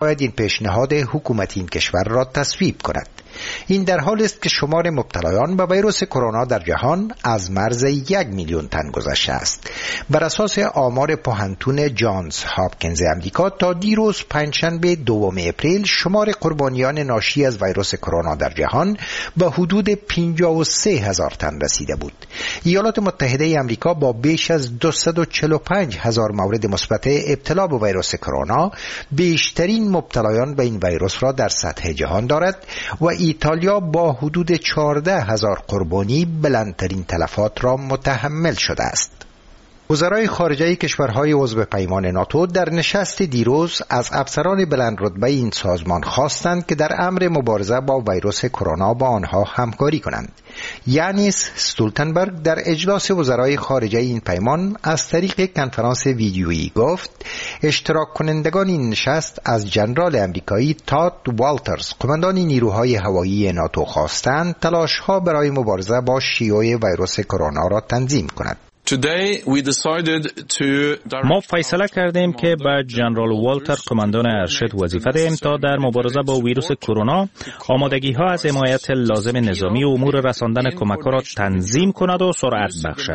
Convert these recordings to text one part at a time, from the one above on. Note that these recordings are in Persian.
باید این پیشنهاد حکومت این کشور را تصویب کند. این در حال است که شمار مبتلایان به ویروس کرونا در جهان از مرز 1 میلیون تن گذشته است. بر اساس آمار پوهنتون جانز هاپکینز امریکا تا دیروز پنجشنبه 2 اپریل شمار قربانیان ناشی از ویروس کرونا در جهان به حدود 53,000 تن رسیده بود. ایالات متحده امریکا با بیش از 245,000 مورد مثبت ابتلا به ویروس کرونا بیشترین مبتلایان به این ویروس را در سطح جهان دارد و ایتالیا با حدود 14,000 قربانی بلندترین تلفات را متحمل شده است. وزرای خارجه کشورهای عضو پیمان ناتو در نشست دیروز از افسران بلند رتبه این سازمان خواستند که در امر مبارزه با ویروس کرونا با آنها همکاری کنند. یانیس ستولتنبرگ در اجلاس وزرای خارجه این پیمان از طریق کنفرانس ویدیویی گفت اشتراک کنندگان این نشست از جنرال امریکایی تاد والترز، قماندان نیروهای هوایی ناتو، خواستند تلاش‌ها برای مبارزه با شیوع ویروس کرونا را تنظیم کند. ما فیصله کردیم که به جنرال والتر قماندان ارشد وظیفه دهیم تا در مبارزه با ویروس کرونا آمادگی ها از حمایت لازم نظامی و امور رساندن کمک ها را تنظیم کند و سرعت بخشد.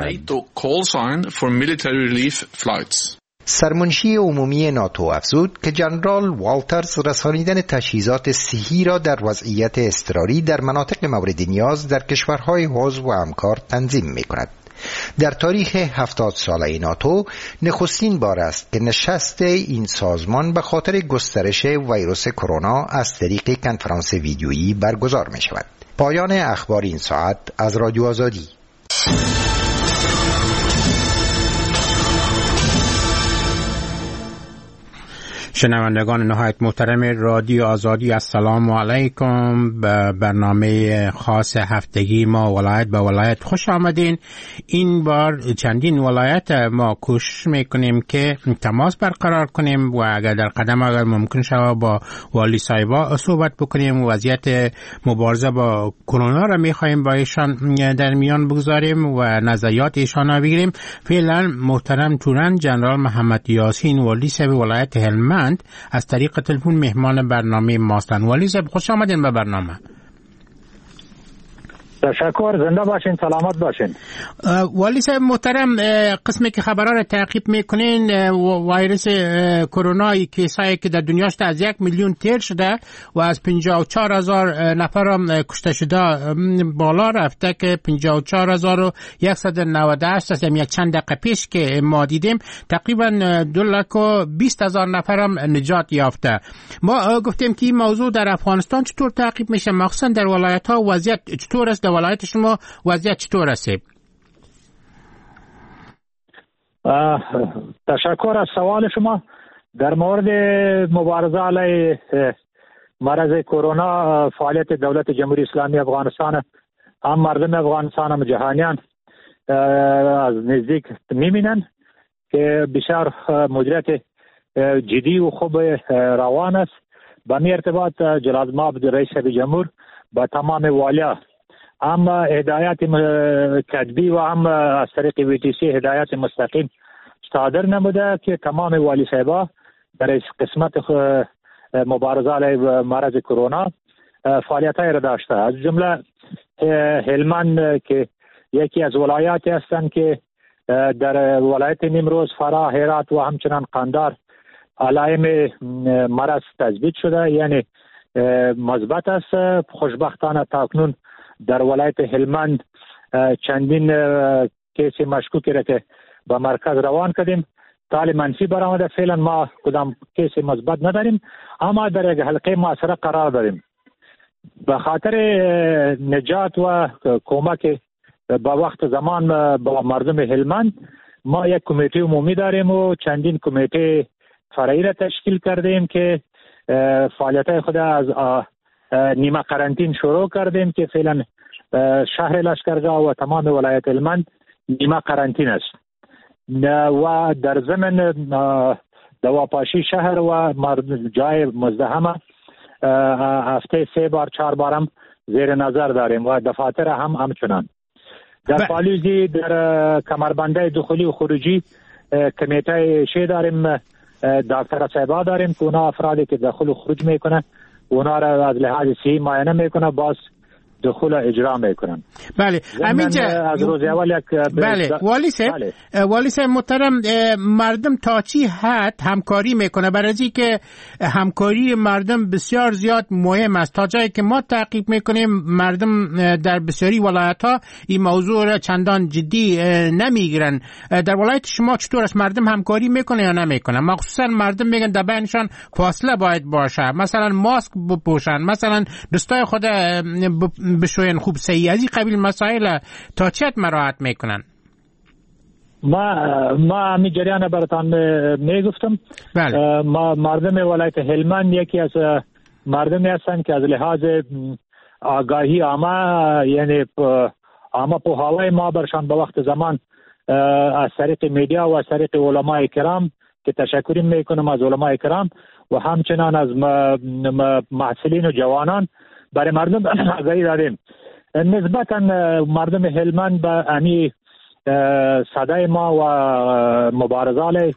سرمنشی عمومی ناتو افزود که جنرال والترز رسانیدن تجهیزات صحی را در وضعیت اضطراری در مناطق مورد نیاز در کشورهای عضو و همکار تنظیم می کند. در تاریخ 70 ساله ناتو نخستین بار است که نشست این سازمان به خاطر گسترش ویروس کرونا از طریق کنفرانس ویدیویی برگزار می شود. پایان اخبار این ساعت از رادیو آزادی. شنوندگان نهایت محترم رادیو آزادی، السلام علیکم. به برنامه خاص هفتگی ما ولایت به ولایت خوش آمدین. این بار چندین ولایت ما کوشش میکنیم که تماس برقرار کنیم و اگر در قدم اگر ممکن شود با والی صاحبا صحبت بکنیم. وضعیت مبارزه با کرونا را میخواهیم با ایشان در میان بگذاریم و نظریات ایشان را بگیریم. فعلا محترم تورن جنرال محمد یاسین، والی صاحب ولایت هلمند، از طریق تلفن مهمان برنامه ماستن. والی صاحب خوش آمدین به برنامه. تشکر، زنده باشین، سلامت باشین. والی صاحب محترم، قسمی که خبرها را تعقیب میکنین، ویروس کرونا کیسایی که در دنیا شده از 1 میلیون تیر شده و از 54,000 نفر هم کشته شده بالا رفته که 54,198 است. یک چند دقیقه پیش که ما دیدیم تقریبا 220,000 نفر هم نجات یافته. ما گفتیم که این موضوع در افغانستان چطور تعقیب میشه، مخصوصا در ولایت ها وضعیت چطور است؟ در ولایت شما وضعیت چطور است؟ تشکر از سوال شما. در مورد مبارزه علیه مرض کرونا، فعالیت دولت جمهوری اسلامی افغانستان هم مردم افغانستان هم جهانیان از نزدیک می‌بینن که بسیار مدیریت جدی و خوب روان است. به می ارتباط جلال مآب رئیس جمهور با تمام والیا هم هدایت کتبی و هم از طریق VTC هدایت مستقیم صادر نموده که تمام والی صاحبا در قسمت مبارزه علیه مرض کرونا فعالیت‌های را داشته. از جمله هلمند که یکی از ولایاتی هستند که در ولایت نیمروز، فراه، هرات و همچنان قندار علائم مرض تثبیت شده، یعنی مثبت است. خوشبختانه تاکنون در ولایت هلمند چندین کیس مشکوکی را که به مرکز روان کردیم تال منفی برآمده. فعلا ما کدام کیس مثبت نداریم، اما در یک حلقه محاصره قرار داریم. به خاطر نجات و کمک با وقت زمان با مردم هلمند ما یک کمیته عمومی داریم و چندین کمیته فرعی را تشکیل کردیم که فعالیت‌های خود از نیمه قرنطین شروع کردیم که فعلا شهر لشکرگاه و تمام ولایت هلمند نیمه قرنطین است و در ضمن دواپاشی شهر و جای مزدحمه هفته 3 بار 4 بار هم زیر نظر داریم و دفاتر هم همچنان. در پالیزی در کمربنده دخولی و خروجی کمیته شی داریم، دکتر صاحبا داریم که اونا افرادی که دخول و خروج میکنه اونا را از لحاظ صحی معاینه میکنه، باز دخول اجرا میکنن. بله همینجا از روز اول یک بله والی صاحب، بله. والی صاحب محترم، مردم تا چی حد همکاری میکنه؟ برای که همکاری مردم بسیار زیاد مهم است. تا جایی که ما تعقیب میکنیم مردم در بسیاری ولایت ها این موضوع را چندان جدی نمیگیرن. در ولایت شما چطور است؟ مردم همکاری میکنه یا نمیکنه؟ مخصوصا مردم میگن در بینشان فاصله باید باشه، مثلا ماسک بپوشن، مثلا دستای خود بشوین خوب صحیح، از این قبیل مسائل تا چه مراعات میکنن؟ ما همین جریان براتان میگفتم. بله. ما مردم ولایت هلمند یکی از مردمی هستند که از لحاظ آگاهی عامه، یعنی عامه پوهاوی ما برشان به وقت زمان از طریق میدیا و از طریق علمای کرام که تشکر میکنم از علمای کرام و همچنان از محصلین و جوانان برای مردم آگاهی دادیم. نسبتا مردم هلمند به امی صدای ما و مبارزه علیه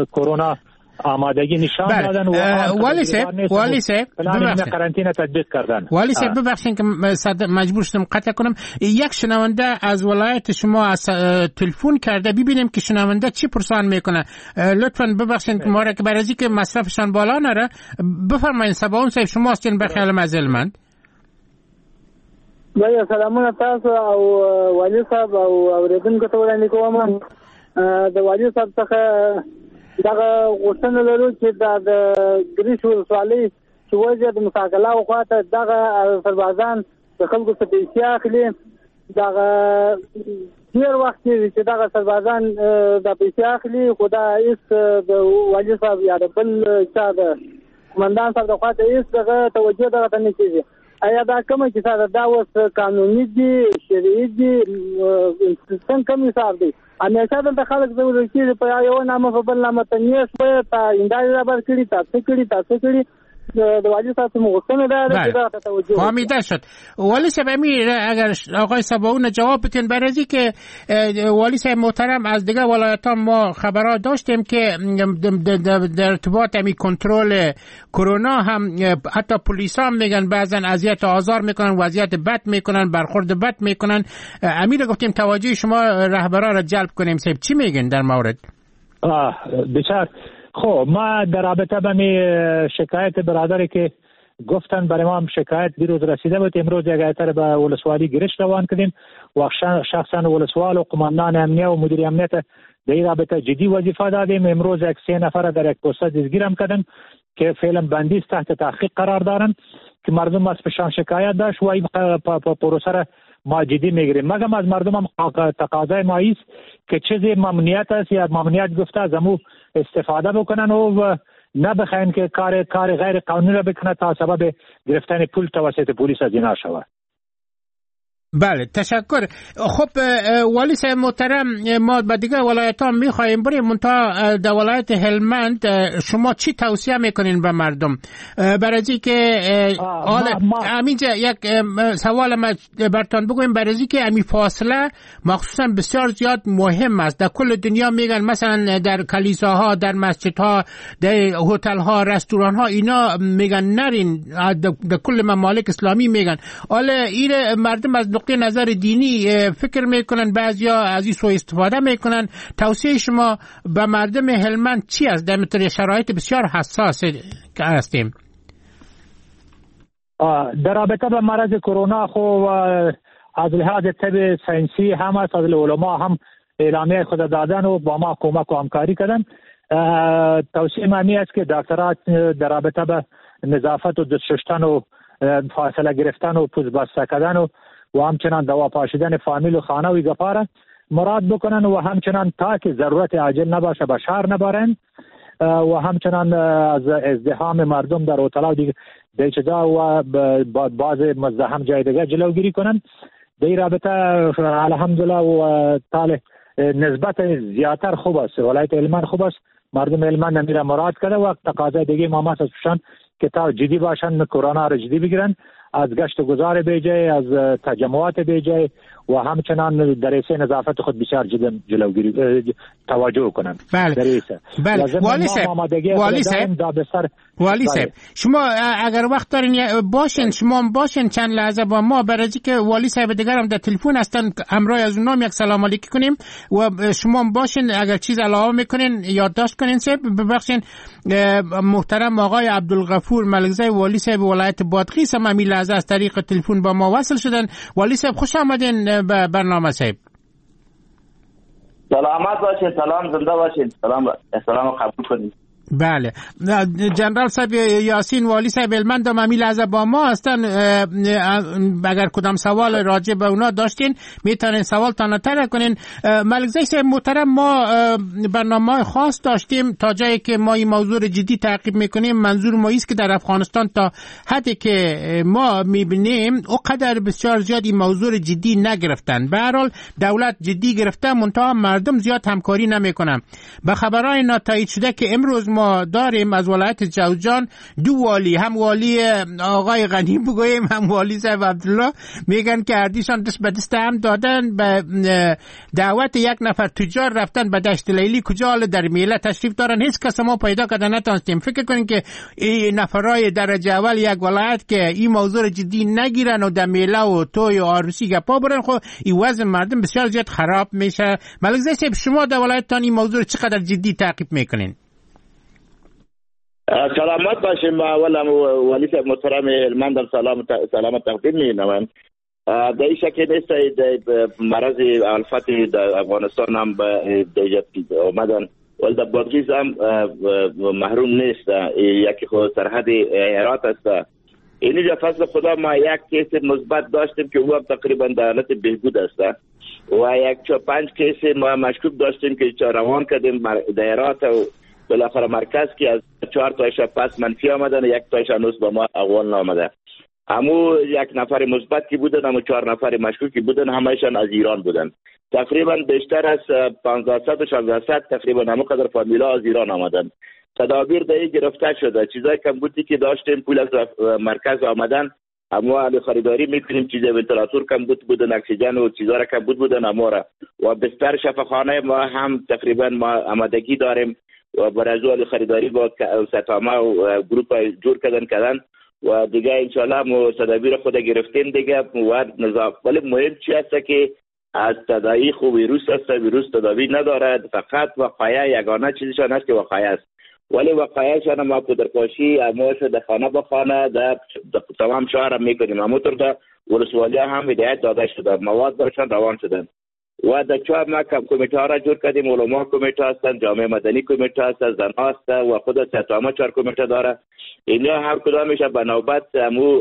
کرونا آمادگی نشان دادن و والی صاحب قرنطینه تطبیق کردن. والی صاحب ببخشید که مجبور شدم قطع کنم. یک شنونده از ولایت شما از تلفن کرده، ببینیم که شنونده چی پرسان میکنه. لطفاً ببخشید ما را که برای که مصرفشان بالا نره. بفرمایید سباون صاحب، شما هستین به خیال از هلمند. بله سلامونه تاسو او والی صاحب او اوریدونکو ته وړاندې کوم. د والی صاحب څخه دغه غوښتنه لرو چې د ګریش ولسوالۍ چې وضع د مساکلاو خواته دغه سربازان د خلکو څخه پیسې اخلي، دغه ډېر وخت کېږي چې دغه سربازان دا پیسې اخلي، خو دا هېڅ د والي صاحب یا د بل چا د قومندان صاحب د خواته هېڅ دغه توجه دغه ته نه کېږي. ایا دا کومه کیسه ده؟ دا اوس قانوني دي، شرعي دي، څنګه کوم حساب دی؟ همیشه دلته خلک ځورول کېږي په یو نامه په بل نامه، ته نیش وایې، تا هندارې رابر کړي، تا څه کړي، تا څه کړي. د والی صاحب غوښتنه دا ده چې دا توجه فهمیده شد. والی صاحب امیر اگر آقای سباون جواب بتین برای که والی صاحب محترم از دیگه ولایت ها ما خبرات داشتیم که در ارتباط امی کنترل کرونا هم حتی پلیس هم میگن بعضا اذیت آزار میکنن، وضعیت بد میکنن، برخورد بد میکنن. امیر گفتیم توجه شما رهبران را جلب کنیم. صاحب چی میگن در مورد؟ بسیار خب، ما در رابطه به می شکایت برادری که گفتن برای ما هم شکایت دیروز رسیده بود، امروز یک ایتر به ولسوالی گرش روان کردیم و شخصا ولسوال و قماندان امنیه و مدیر امنیت در این رابطه جدی وظیفه دادیم. امروز یک 3 نفر در یک پست دستگیرم کردن که فعلا بندیز تحت تحقیق قرار دارن که مردم از پشان شکایت داشت و این پروسه را ما جدی میگیریم. مگم از مردم هم تقاضای ما است که چیزی ممنوعیت است یا ممنوعیت گفته از امو استفاده بکنن و نبخواین که کار غیر قانونی را بکنه تا سبب گرفتن پول توسط پلیس از اینا شود. بله تشکر. خب والی صاحب محترم، ما به دیگه ولایت ها میخواهیم بریم، منتها در ولایت هلمند شما چی توصیه میکنین به مردم برای که همینجا یک سوال ما برتان بگویم، برای که امی فاصله مخصوصا بسیار زیاد مهم است. در کل دنیا میگن مثلا در کلیساها، در مسجدها، در هتل ها، رستوران ها، اینا میگن نرین، در کل ممالک اسلامی میگن. حالا این مردم از نقطه نظر دینی فکر میکنن، بعضیا از این سوء استفاده میکنن. توصیه شما به مردم هلمند چی است در مثل شرایط بسیار حساس که هستیم؟ در رابطه به مرض کرونا خو از لحاظ طب ساینسی هم از علما هم اعلامیه خود دادن و با ما کمک و همکاری کردن. توصیه من است که دکترات در رابطه به نظافت و دست شستن و فاصله گرفتن و پوست بسته کردن و همچنان دوا پاشیدن فامیل و خانه و گپاره مراد بکنن و همچنان تا که ضرورت عاجل نباشه به شهر نبرن و همچنان از ازدحام مردم در هتل‌ها دیگه دیچدا و بعض مزدحم جای دیگه جلوگیری کنن. در این رابطه الحمدلله و طالع نسبت زیادتر خوب است، ولایت هلمند خوب است، مردم هلمند میره مراد کرده و تقاضای دیگه ما از پشان که تا جدی باشن، کرونا را جدی بگیرن، از گشت و گذار بیجای، از تجمعات بیجای و همچنان در حیث نظافت خود بسیار جدا جلوگیری توجه کنند. بله. بله. والی صاحب، والی صاحب، والی صاحب، شما اگر وقت دارین باشین، شما باشین چند لحظه با ما، برای که والی صاحب دیگر هم در تلفن هستن، همراه از اونام یک سلام علیکی کنیم و شما باشین اگر چیز علاوه میکنین یادداشت کنین. صاحب ببخشین، محترم آقای عبدالغفور ملکزی والی صاحب ولایت بادغیس هم همین لحظه از طریق تلفن با ما وصل شدن. والی صاحب خوش آمدین به برنامه صاحب. سلامت باشین، سلام، زنده باشین، سلام، سلام قبول کنید. بله، جنرال صاحب یاسین والی صاحب هلمند هم همین لحظه با ما هستن. اگر کدام سوال راجع به اونا داشتین میتونین سوال تان طرح کنین. ملکزی صاحب محترم، ما برنامه خاص داشتیم تا جایی که ما این موضوع جدی تعقیب میکنیم. منظور ما ایست که در افغانستان تا حدی که ما میبینیم اوقدر بسیار زیاد این موضوع جدی نگرفتن. به هر حال دولت جدی گرفته، منتها مردم زیاد همکاری نمیکنن. به خبرهای ناتایید شده که امروز ما داریم از ولایت جوزجان، دو والی، هم والی آقای غنی بگوییم هم والی صاحب عبدالله، میگن که هردیشان دست به دست هم دادن، به دعوت یک نفر تجار رفتن به دشت لیلی، کجا حال در میله تشریف دارن، هیچ کس ما پیدا کرده نتونستیم. فکر کنین که این نفرای درجه اول یک ولایت که این موضوع جدی نگیرن و در میله و توی و عروسی گپا برن، خب این وضع مردم بسیار زیاد خراب میشه. ملک صاحب شما در ولایتتان این موضوع چقدر جدی تعقیب میکنین؟ سلامت باشیم. اولا والی صاحب محترم هلمند سلام تقدیم می‌نمایم. در این شک نیست مرض الفت در افغانستان هم به آمدن، ولی در بادغیس هم محروم نیست. یکی خود سرحد هرات است. اینجا فضل خدا ما یک case مثبت داشتیم که او هم تقریبا در حالت بهبود است و یک 5 case ما مشکوک داشتیم که روان کردیم در هرات و بالاخره مرکز که از 4 تایش پس منفی آمدن، یک تایش هنوز به ما اول نامده. امو یک نفر مثبت که بودن، امو 4 نفر مشکوک که بودن، همه‌شان از ایران بودن. تقریبا بیشتر از 1500 و 1600 تقریبا همو قدر فامیلا از ایران آمدن. تدابیر دایی گرفته شده. چیزای کمبودی که داشتیم پول از مرکز آمدن، اما علی خریداری میکنیم. چیز ونتیلاتور کمبود بودن، اکسیژن و چیزا را کمبود بودن امو را. و بستر شفاخانه ما هم تقریبا ما آمادگی داریم و برای خریداری با ستامه و گروپ جور کردن و دیگه انشالله ما تدابیر خود گرفتیم دیگه و نظام. ولی مهم چی است که از تداعی خو ویروس است، ویروس تداوی ندارد، فقط وقایع یگانه چیزشان است که وقایع است. ولی وقایعشان ما پودرپاشی اما در خانه به خانه در تمام شهر هم میکنیم. همونطور در ولسوالی هم هدایت داده شده، مواد برشان روان شدن و در چهار ما کمیته ها را جور کردیم. علما کمیته هستند، جامعه مدنی کمیته هست، زن هست و خود ستامه 4 کمیته داره. اینا هر کدامش به نوبت امو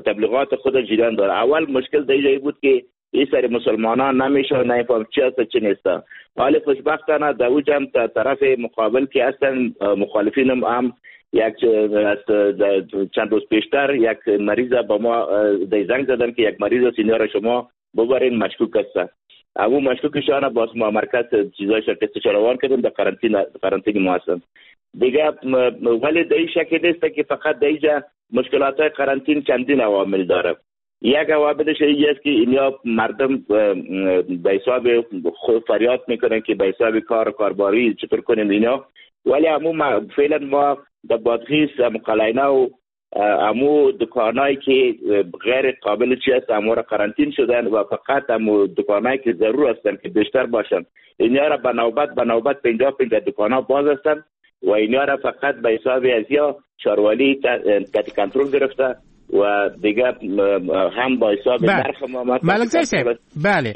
تبلیغات خود جریان داره. اول مشکل در اینجا بود که این سری مسلمانان نمیشه نمیفهم چی هست چی نیست. حال خوشبختانه در او جمع طرف مقابل که هستن مخالفین هم یک چند روز پیشتر یک مریض با ما زنگ زدن که یک مریض سینیور شما ببرین مشکوک است. امو مشکوکشان باز ما مرکز چیزای شرکت روان کردیم در قرنطینه ما هستن دیگه. ولی در این شکل نیست که فقط در اینجا مشکلات های قرنطین چندین عوامل داره. یک عواملش این است که اینا مردم به حساب خود فریاد میکنن که به حساب کار و کارباری چطور کنیم اینا. ولی امو فعلا ما در بادغیس قلعه و امو دکانایی که غیر قابل چی است امو را قرنطین شدن و فقط امو دکانایی که ضرور هستن که بیشتر باشن اینا را به نوبت 50 دکانا باز هستن و اینا را فقط به حساب ازیا شاروالی تحت کنترل گرفته و دیگه هم با حساب نرخ ما. ملکزی صاحب بله،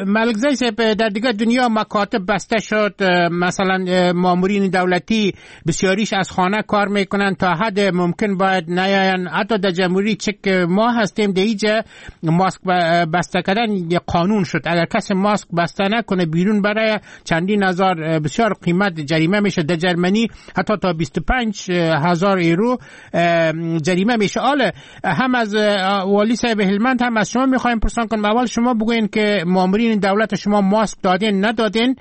ملکزی صاحب در دیگه دنیا مکاتب بسته شد، مثلا مامورین دولتی بسیاریش از خانه کار میکنن، تا حد ممکن باید نیاین. حتی در جمهوری چک ما هستیم در اینجا ماسک بسته کردن یه قانون شد، اگر کسی ماسک بسته نکنه بیرون برای چندین هزار بسیار قیمت جریمه میشه. در جرمنی حتی تا 25,000 یورو جریمه میشه. آله هم از والی صاحب هلمند هم از شما میخوایم پرسان کنم. اول شما بگوین که مامورین دولت شما ماسک دادین ندادین،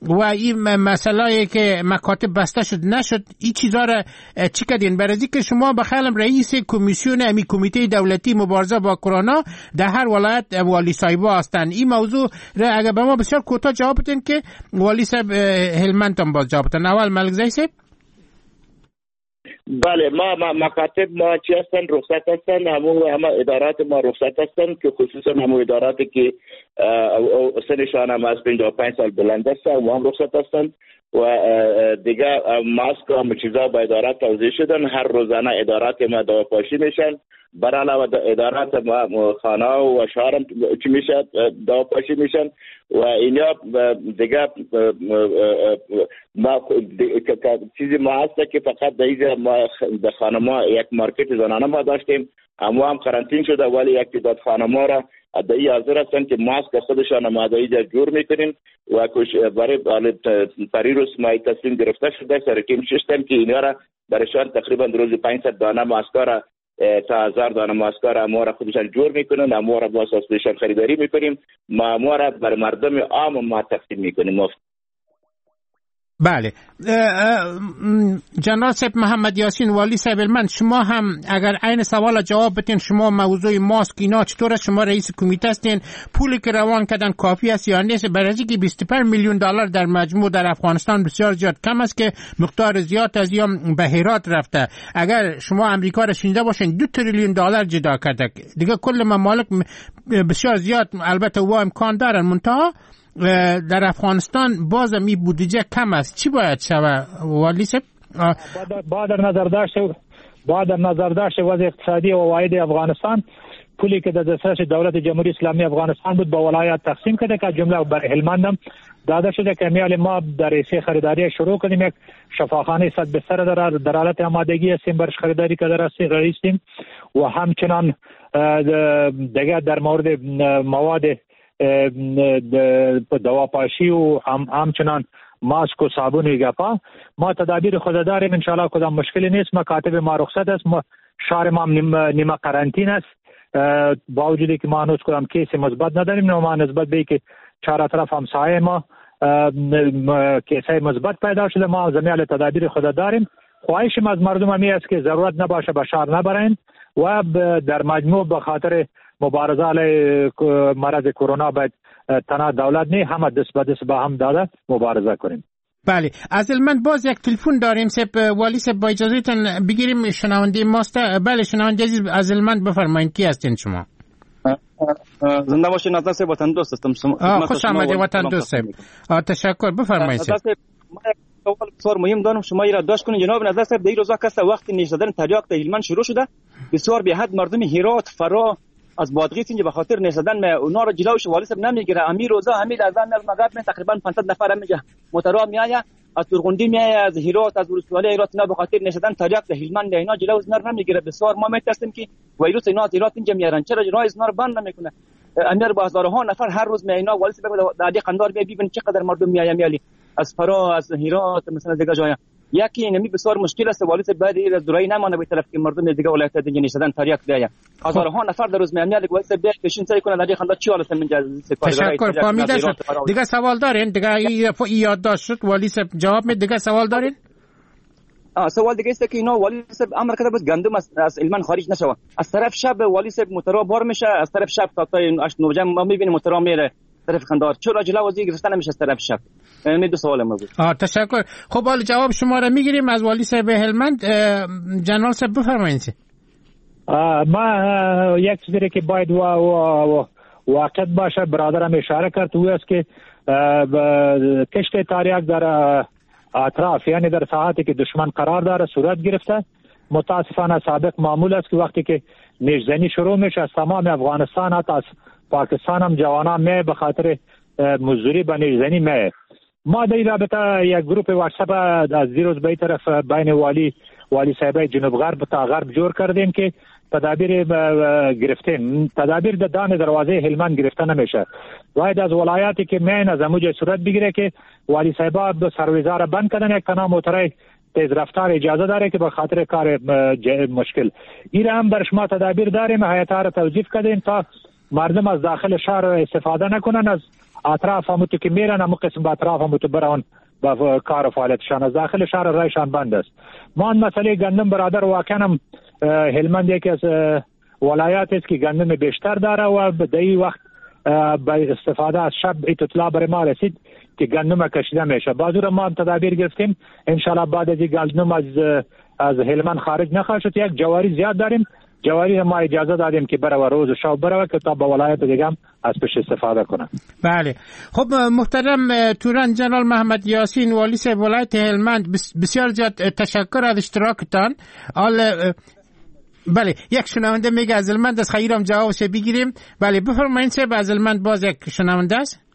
و این مسئله که مکاتب بسته شد نشد، این چیزا را چی کردین؟ برای که شما به خیالم رئیس کمیسیون امی کمیته دولتی مبارزه با کرونا در هر ولایت والی صاحبا هستند. این موضوع را اگر به ما بسیار کوتاه جواب بدین که والی صاحب هلمند هم باز جواب بدن. اول ملکزی صاحب. بله، ما مکاتب ما چی هستن؟ رخصت هستن. همه ادارات ما رخصت هستن که خصوصا همه اداراتی که سنشان هم از 55 سال بلند هستن و هم رخصت هستن و دیگه ماسک و همه چیزا با ادارات توزیع شدن. هر روزانه ادارات ما دواپاشی میشن، بر علاوه ادارات ما خانه و شهر هم چی میشه دواپاشی میشن و اینا دیگه ما چیزی ما هست که فقط در ما در خانما یک مارکت زنانه ما داشتیم، اما هم قرنطین شده، ولی یک تعداد خانما را ادعی حاضر هستن که ماسک خودشان ما ادعی جور میکنیم و برای پریروز ما تصمیم گرفته شده سرکیم ششتم که اینا را برشان تقریبا روز 500 دانه ماسک را تا 1000 دانه ماسک را ما را خودشان جور میکنن، ما را باز از خودشان خریداری میکنیم، ما را بر مردم عام ما تقسیم میکنیم. بله جنرال صاحب محمد یاسین والی صاحب هلمند، شما هم اگر عین سوال جواب بدین، شما موضوع ماسک اینا چطور است؟ شما رئیس کمیته هستین، پولی که روان کردن کافی است یا نیست؟ برای اینکه 25 میلیون دلار در مجموع در افغانستان بسیار زیاد کم است که مقدار زیاد از یا به هرات رفته. اگر شما امریکا را شنیده باشین 2 تریلیون دلار جدا کرده، دیگه کل ممالک بسیار زیاد البته و امکان دارن، منتها در افغانستان بازم این بودجه کم است. چی باید شود والی صاحب؟ با در نظر داشت وضع اقتصادی و عواید افغانستان، پولی که در دسترس دولت جمهوری اسلامی افغانستان بود با ولایات تقسیم کرده که جمله بر هلمند هم داده شده که میال ما در ایسی خریداری شروع کنیم. یک شفاخانه 100 بستر در حالت آمادگی هستیم برش خریداری که در هستیم و همچنان دیگه در مورد مواد دواپاشی و همچنان ماسک و صابون و گپا ما تدابیر خود داریم. انشالله کدام مشکلی نیست. مکاتب ما رخصت است، شهر ما نیمه قرنطین است، با وجودی که ما هنوز کدام کیس مثبت نداریم، ما نسبت به که چهار طرف همسایه ما کیسای مثبت پیدا شده، ما زمیال تدابیر خود داریم. خواهش ما از مردم همی است که ضرورت نباشه به شهر نبرند و در مجموع به خاطر مبارزه علیه مرض کرونا باید تنها دولت نه، همه دست به دست با هم داده مبارزه کنیم. بله از هلمند باز یک تلفن داریم سپ والی سپ، با اجازهتون بگیریم، شنونده ماست. بله شنونده عزیز از هلمند بفرمایید، کی هستین شما؟ زنده باشین نظر صاحب، وطن دوست هستم. خوش آمدید وطن دوست صاحب، تشکر، بفرمایید. سوال بسیار مهم دارم، شما را داشت کنید جناب نظر صاحب. در این روزا کسا وقتی نیش زدن تریاک در هلمند شروع شده، بسیار به حد مردم هرات فرا از بادغیس اینجا به خاطر نشدن اونا را جلوش والی صاحب نمیگیره. امیر روزا همین از مغرب من تقریبا 500 نفر میگه موتورا میآید از تورغندی میآید از هرات از ولسوالی هرات، اینا به خاطر نشدن تریاک در هلمند اینا جلو نر نمیگیره. بسیار ما میترسیم که ویروس اینا از هرات اینجا میارن، چرا جلوی اینا رو بند نمیکنه؟ امیر با هزارها نفر هر روز می اینا والی صاحب در قندار می ببین چقدر مردم میآید میالی از فرا از هرات مثلا دیگه جای. یکی اینمی بسیار مشکل است والی صاحب باید از درای نمانه به طرف که مردم دیگه ولایت دیگه نشدن تریاک بیاید. هزارها نفر در روز میاد والی صاحب بیاید پیشین سعی کنه در خنده چی حالت من تشکر فهمیده شد. دیگه سوال دارین؟ دیگه یادداشت شد والی صاحب جواب می. دیگه سوال دارین؟ سوال دیگه است که اینا والی صاحب امر کرده بود گندم از هلمند خارج نشوه. از طرف شب والی صاحب موتورا بار میشه، از طرف شب تا 8 9 ما میبینیم موتورا میره طرف قندار، چرا جلو وزیر گرفتن نمیشه از طرف شب؟ می دو سوال ما بود. تشکر. خب حالا جواب شما را میگیریم از والی صاحب هلمند. جنرال صاحب بفرمایید. ما یک چیزی که باید واقع باشه برادرم اشاره کرد او است که کشت تریاک در اطراف یعنی در ساعتی که دشمن قرار داره صورت گرفته. متاسفانه سابق معمول است که وقتی که نیشزنی شروع میشه از تمام افغانستان حتی از پاکستان هم جوانان می به خاطر مزدوری به نیشزنی می. ما در این رابطه یک گروپ واتساپ از دیروز به این طرف بین والی صاحبای جنوب غرب تا غرب جور کردیم که تدابیر گرفتیم. تدابیر در دان دروازه هلمند گرفته نمیشه، باید از ولایاتی که مین از اموجه صورت بگیره که والی صاحبا سرویزا را بند کردن. یک تنها موترای تیز رفتار اجازه داره که به خاطر کار مشکل این هم بر شما تدابیر داریم. هیئت را توظیف کردیم تا مردم از داخل شهر استفاده نکنن، از اطراف همو تو که میرن همو قسم به اطراف همو تو برون با کار و فعالیتشان از داخل شهر رایشان بند است. ما مسئله گندم برادر واقعا هم هلمند یکی از ولایات است که گندم بیشتر داره و به این وقت با استفاده از شب اطلاع برای ما رسید که گندم کشیده میشه. باز ما هم تدابیر گرفتیم، انشالله بعد از گندم از هلمند خارج نخواهد شد. یک جواری زیاد داریم، جواری ما اجازه دادیم که بره و روز و شب بره که تا به ولایت دیگه هم از پش استفاده کنه. بله خب محترم توران جنرال محمد یاسین والی صاحب ولایت هلمند، بسیار زیاد تشکر از اشتراکتان. بله یک شنونده میگه از هلمند از خیرم جوابش بگیریم. بله بفرمایید صاحب، از هلمند باز یک شنونده است.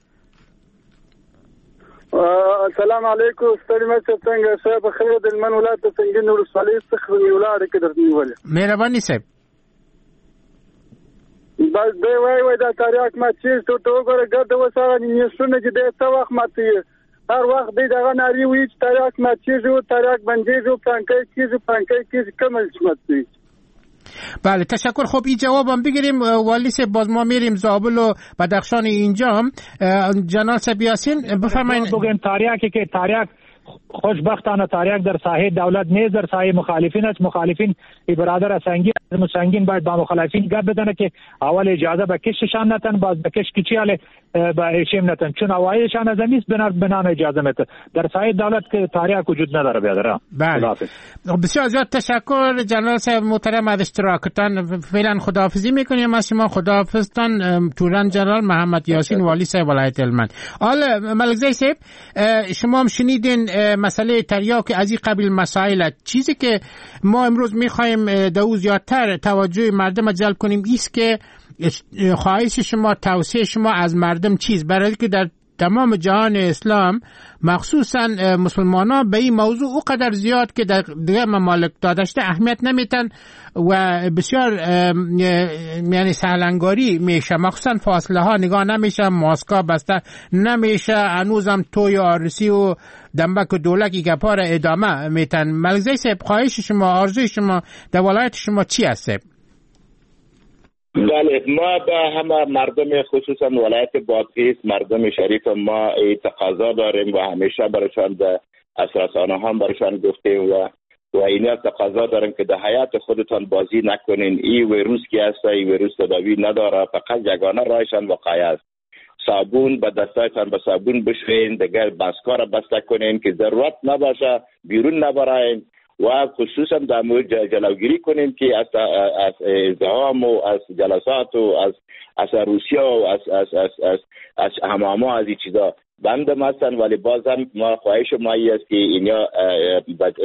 السلام علیکم ستړي مه شئ، څنګه صاحب؟ خیر د هلمند ولایت د سنګین ولسوالۍ څخه نیولاړې کې درته نیولې. مهرباني صاحب. بس دی وای وای دا تریاک ماتېږي، ته ورته وګوره ګرده اوس هغه نیشونه چې دی څه وخت ماتوي، هر وخت دی دغه نارې وایي چې تریاک ماتېږي او تریاک بندېږي او پلانکی کېږي پلانکی کېږي، کوم چې ماتوي. بله تشکر. خب این جوابم بگیریم والی صاحب، باز ما میریم زابل و بدخشان اینجا هم. جنرال صاحب یاسین بفرمایید. بگیم تریاکی که تریاک خوشبختانه تریاک در ساحه دولت نیست، در ساحه مخالفین است. مخالفین ای برادر سنگین سنگین باید با مخالفین گپ بزنه که اول اجازه به کششان نتن، باز به کش کچیاله به ایشیم نتن، چون اوایلشان از امیس بنان اجازه میته. در ساحه دولت که تریاک وجود نداره بیادر. بله بسیار زیاد تشکر جنرال صاحب محترم از اشتراکتان. فعلا خداحافظی میکنیم از شما. خداحافظتان توران جنرال محمد یاسین والی صاحب ولایت هلمند. حالا ملکزی صاحب شما هم شنیدین مسئله تریاک از این قبیل مسائل. چیزی که ما امروز میخوایم در او زیادتر توجه مردم جلب کنیم ایست که خواهش شما، توصیه شما از مردم چیز، برای که در تمام جهان اسلام مخصوصا مسلمان ها به این موضوع اوقدر زیاد که در دیگر ممالک داده شده اهمیت نمیتن و بسیار یعنی سهلنگاری میشه، مخصوصا فاصله ها نگاه نمیشه، ماسکا بسته نمیشه، هنوزم توی آرسی و دنبک و دولکی گپا را ادامه میتن. ملکزی صاحب خواهش شما، آرزوی شما در ولایت شما چی هست؟ بله ما به همه مردم خصوصا ولایت بادغیس، مردم شریف ما تقاضا داریم و همیشه برشان از رسانه هم برشان گفتیم و اینا تقاضا داریم که در حیات خودتان بازی نکنین. این ویروس که هست، این ویروس تداوی نداره، فقط یگانه راهشان وقایه است. صابون به دستایتان به صابون بشوین، دیگر بسکا را بسته کنین که ضرورت نباشه بیرون نبراین و خصوصا در مورد جلوگیری کنیم که از ازدحام و از جلسات و از روسیه و از از از از از حماما از این چیزا بند هستن. ولی بازم ما خواهش ما است که اینا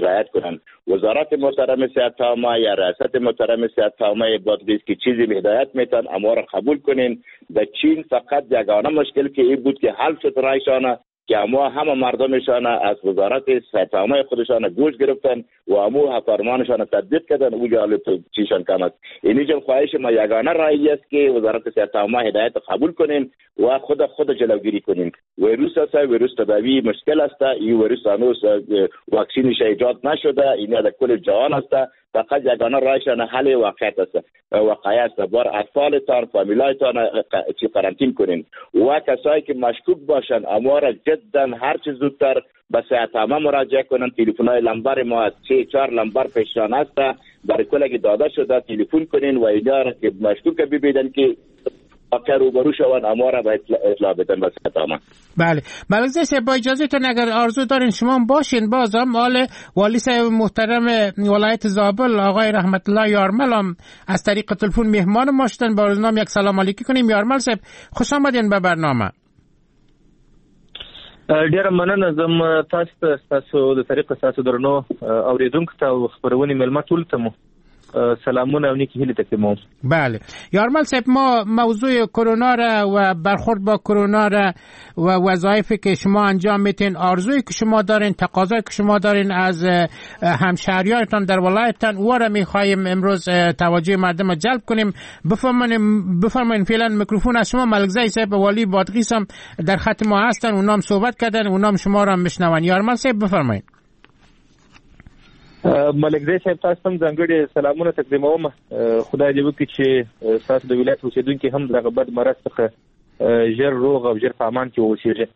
رعایت کنن. وزارت محترم صحت عامه یا ریاست محترم صحت عامه بادغیس که چیزی هدایت میتن اما را قبول کنین. در چین فقط یگانه مشکل که این بود که حل شد رایشانه که اما همه مردمشان از وزارت صحت عامه خودشان گوش گرفتن و امو فرمانشان تطبیق کردن، او جالب چیشان کم است. اینجا خواهش ما یگانه رای است که وزارت صحت عامه هدایت قبول کنین و خود جلوگیری کنین. ویروس است، ویروس تداوی مشکل است، این ویروس هنوز واکسینش ایجاد نشده، این در کل جهان است. فقط یگانه رایشان حل واقعیت است، واقعیت است. بار اطفالتان، فامیلایتان چی قرنطین کنین و کسایی که مشکوک باشن اما را جدا هر چه زودتر به صحت عامه مراجعه کنن. تلفن‌های لمبر ما از 3-4 لمبر پیشان است برای کلگی داده شده، تلفن کنین و اینا را که مشکوک ببینن که واقعا روبرو شوند اما را باید اطلاع بدن به صحت عامه. بله ملکزی صاحب با اجازهتون اگر آرزو دارین شما باشین، بازم مال والی صاحب محترم ولایت زابل آقای رحمت الله یارمل هم از طریق تلفن مهمان ما شدن، با نام یک سلام علیکی کنیم. یارمل صاحب خوش آمدین به برنامه. ډیره مننه زم تاسو ته، تاسو د طریق تاسو درنو اوریدونکو ته او خبرونې میلمه ټول ته مو سلامونه او نیکی هیلې تقدیموم. بله یارمل صاحب ما موضوع کرونا را و برخورد با کرونا را و وظایفی که شما انجام میتین، آرزویی که شما دارین، تقاضایی که شما دارین از همشهریانتان در ولایتتان، او را میخواهیم امروز توجه مردم را جلب کنیم. بفرمایین فعلا میکروفون از شما. ملکزی صاحب والی بادغیس هم در خط ما هستن، اونام صحبت کردن، اونام شما را میشنون. یارمل صاحب بفرمایین. ملکزی صاحب تاسو ته هم ځانګړي سلامونه تقدیموم. خدای دې وکړي چې ستاسو د ولایت اوسېدونکي هم دغه بد مرض څخه ژر روغ او ژر په امان کې واوسېږي.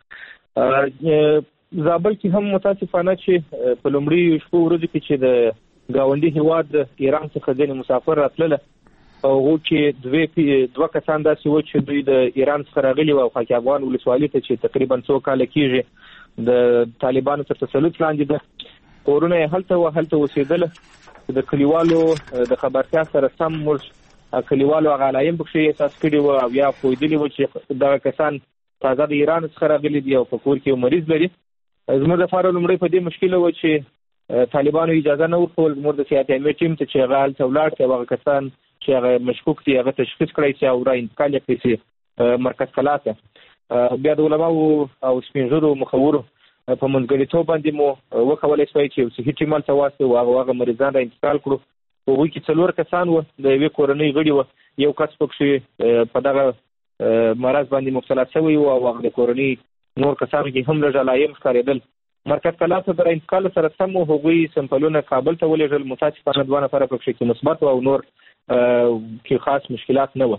زابل کې هم متاسفانه چې په لومړیو شپو ورځو کې چې د ګاونډي هیواد ایران څخه ځینې مسافر راتلله، په هغو کې دوه کسان داسې وو چې دوی د ایران څخه راغلي وو او خاک افغان ولسوالي ته چې تقریبا څو کاله کېږي د طالبانو تر تسلط لاندې ده، کورونه یې هلته وه، هلته اوسېدله. د کلیوالو د خبرتیا سره سم موږ کلیوالو هغه علایم پکښې احساس کړي وو او یا پوهېدلي وو چې دغه کسان تازه د ایران څخه راغلي دي او په کور کې یو مریض لري. زموږ لپاره لومړی په دې مشکل و چې طالبانو اجازه نه ورکول زموږ د صحت عامې ټیم ته چې هغه هلته ولاړ شي او هغه کسان چې هغه مشکوک دي هغه تشخیص کړی شي او را انتقال یې کړی شي مرکز کلا ته. بیا د علماوو او سپینږیرو مخورو په منځګړیتوب باندې مو وکولی شوای چې یو صحي ټیم هلته واستوو، هغه مریضان را انتقال کړو. په هغوی کې 4 کسان وو، د یوې کورنۍ غړي وو، یو کس پکښې په دغه مرض باندې مبتلا شوی و او هغه د کورنۍ نور کسانو کې هم لږ علایم ښکارېدل. مرکز کلا ته د انتقال سره سم مو هغوی سمپلونه کابل ته ولېږل. متاسفانه 2 نفره پکښې کې مثبت وو او نور کې خاص مشکلات نه وو.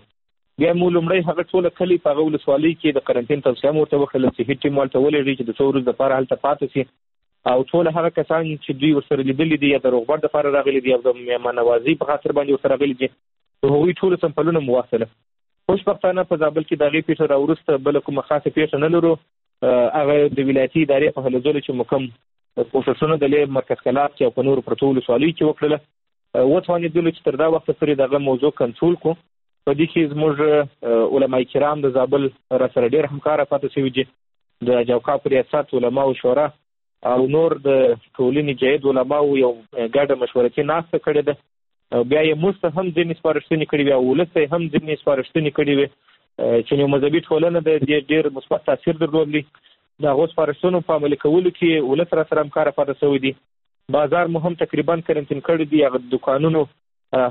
بیا مو لومړی هغه ټوله کلی په هغه ولسوالۍ کې د قرنطین توصیه مو ورته وکړله چې هیڅ ټیم هلته ولېږئ چې د څو ورځو دپاره هلته پاتې شي او ټول هغه کسان چې دوی ورسره لیدلي دي یا د روغبړ دپاره راغلي دي او د مهمانوازۍ په خاطر باندې ورسره راغلي دي، د هغوی ټولو سمپلونه مو واخیستله. خوشبختانه په زابل کې د هغې پېښه را وروسته بله کومه خاصه پېښه نه لرو. هغه د ولایتي ادارې په هلو ځلو چې مو کوم کوښښونه د لې مرکز کلات کې او په نورو پرتو ولسوالیو کې وکړله، وتوانېدلو چې تر دا وخته پورې دغه موضوع کنټرول کړو. په دې کې زموږ علماء کرام د زابل را سره ډېر همکاره پاتې شوي دي، د جوکاپ ریاست، علماو شورا او نور د ټولنې جید علماو یو ګډه مشورتي ناسته کړې ده. بیا یې موږ ته هم ځینې سپارښتنې کړې وې او ولس ته یې هم ځینې سپارښتنې کړې وې چې یو مذهبي ټولنه ده، دې ډېر مثبت تاثیر درلود. د هغو سپارښتنو په عملي کولو کې ولس را سره همکاره پاتې شوی دی. بازار مو هم تقریبا کرنټین کړی دی، هغه دوکانونو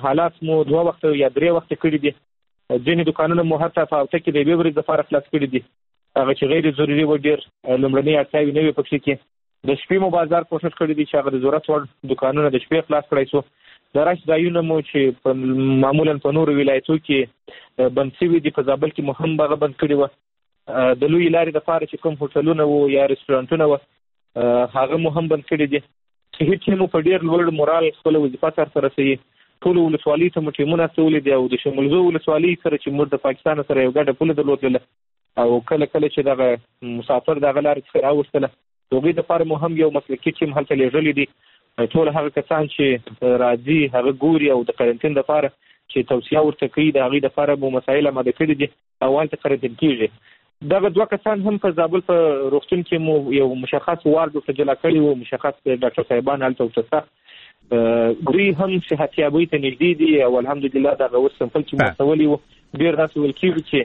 حالات مو 2 وخته یا 3 وخته کړي دي. ځینې دوکانونه مو حتی په هفته کې د یوې ورځې لپاره خلاص کړي دي، هغه چې غیر ضروري و ډېر لومړنۍ اړتیاوې نه وې پکښې کې. د شپې مو بازار کوښښ کړی دی چې هغه د ضرورت وړ دوکانونه د شپې خلاص کړای شو. د رش ځایونه مو چې معمولا په نورو ولایتو کې بند شوي دي، په زابل کې مو هم هغه بند کړي وه. د لویې لارې دپاره چې کوم هوټلونه وو یا رستورانتونه وه هغه مو هم بند کړي دي. صحي ټیم مو په ډېر لوړ مورال خپله وظیفه سرته رسوي. ټولو ولسوالۍ ته مو ټیمونه استولي دي او د شمولزو ولسوالۍ سره چې موږ د پاکستان سره یو ګډه پوله درلودله او کله کله چې دغه مسافر دغه لارې څخه راوستله، د هغوی دپاره مو هم یو مسلکي ټیم هلته لېږلی دی. ټول هغه کسان چې راځي هغه ګوري او د قرنطین دپاره چې توصیه ورته کوي د هغوی دپاره مو مسایل اماده کړي دي او هلته قرنطین کېږي. دغه 2 کسان هم په زابل په روغتون کې مو یو مشخص وارډ ورته جلا کړی و، مشخص ډاکټر صاحبان هلته ورته شته. دوی هم صحتیابۍ ته نږدې دي او الحمدلله دغه اوس سمپل چې مو استولی و ډېر داسې ویل کېږي چې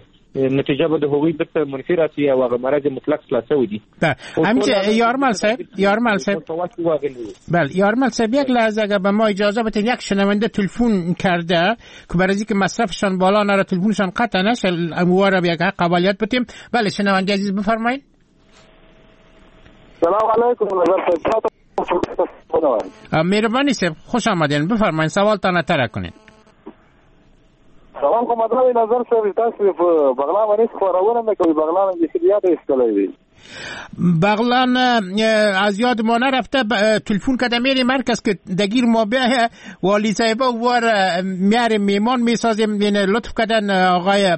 نتیجه به د هغوی بیرته منفي راسي او هغه مرض مطلق خلاص شوی دی. همچه یارمل صاحب، یارمل صاحب، بله یارمل صاحب، یک لحظه اگر به ما اجازه بدین، یک شنونده تلفن کرده که برای اینکه مصرفشان بالا نره تلفنشان قطع نشه اموار را به یک حق قابلیت بدیم. بله شنونده عزیز بفرمایید. سلام علیکم نظر صاحب. مهربانی صاحب، خوش آمدین، بفرمایید سوالتان طرح کنین. سلام کوم درناوی نظر صاحب، تاسو په بغلان باندې خبرونه نه کوي، بغلان بیخي یاد ایستلی دی. بغلان از یاد ما نرفته. تلفن کده میری مرکز که دگیر ما به والی صاحب وار میاریم میمان میسازیم. لطف کردن آقای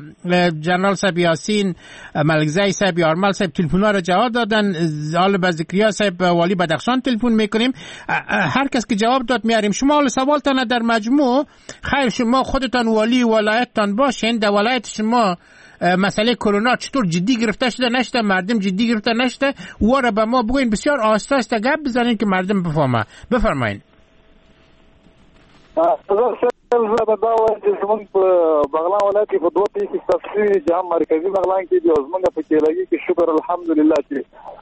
جنرال صاحب یاسین ملکزی صاحب یارمل صاحب تلفن ها را جواب دادن. حالا به ذکریا صاحب والی بدخشان تلفن میکنیم، هر کس که جواب داد میاریم. شما حالا سوالتان در مجموع خیر، شما خودتان والی ولایتتان باشین، در ولایت شما مسئله کرونا چطور جدی گرفته شده نشده، مردم جدی گرفته نشده، او را به ما بگوین. بسیار آهسته آهسته گپ بزنین که مردم بفهمه. بفرمایین. زه به دا وایم چې زموږ په بغلان ولایت کې په 2 پېښې ثبت شوي دي چې هم مرکزي بغلان کې دي او زموږ په کیلګي کې شکر الحمدلله چې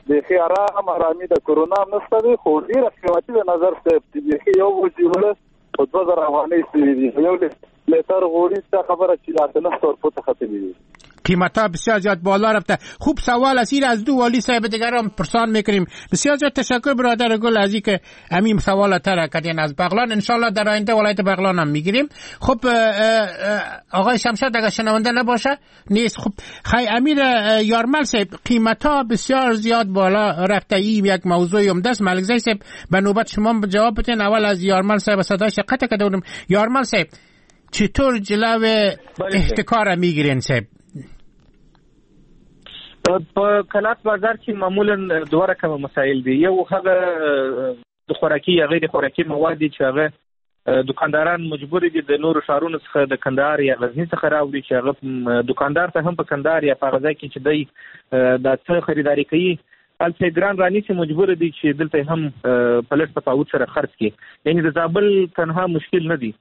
بیخي ارام ارامي د کرونا هم نشته دی، خو ډېره قیمتي ده نظر صاحب چې بیخي یو بوجۍ اوړه په 2000 افغانۍ شوي دي، یو لیتر غوړي دا خبره چې 800 روپو ته ختلي دي. قیمت ها بسیار زیاد بالا رفته. خوب سوال است، از دو والی صاحب دیگر هم پرسان میکنیم. بسیار زیاد تشکر برادر گل از اینکه همین سوال طرح کردین از بغلان. انشالله در آینده ولایت بغلان هم میگیریم. خب آقای شمشاد اگر شنونده نباشه نیست. خب خی امیر یارمل صاحب، قیمت ها بسیار زیاد بالا رفته، این یک موضوع عمده است. ملک زی صاحب به نوبت شما جواب بدین. اول از یارمل صاحب صداش قطع کرده بودم. یارمل صاحب چطور جلو احتکار میگیرین صاحب؟ په کلات بازار کې معمولا دوه رقمه مسایل دي. یو هغه د خوراکي یا غیر خوراکي مواد دي چې هغه دکانداران مجبور دي د نورو ښارونو څخه د کندهار یا غزني څخه راوړي، چې هغه دکاندار ته هم په کندهار یا په هغه ځای کې چې دی دا څه خریداري کوي هلته ګران رانیسي، مجبور دي چې دلته هم په لږ تفاوت سره خرڅ کړي. یعنې د زابل تنها مشکل نه دی.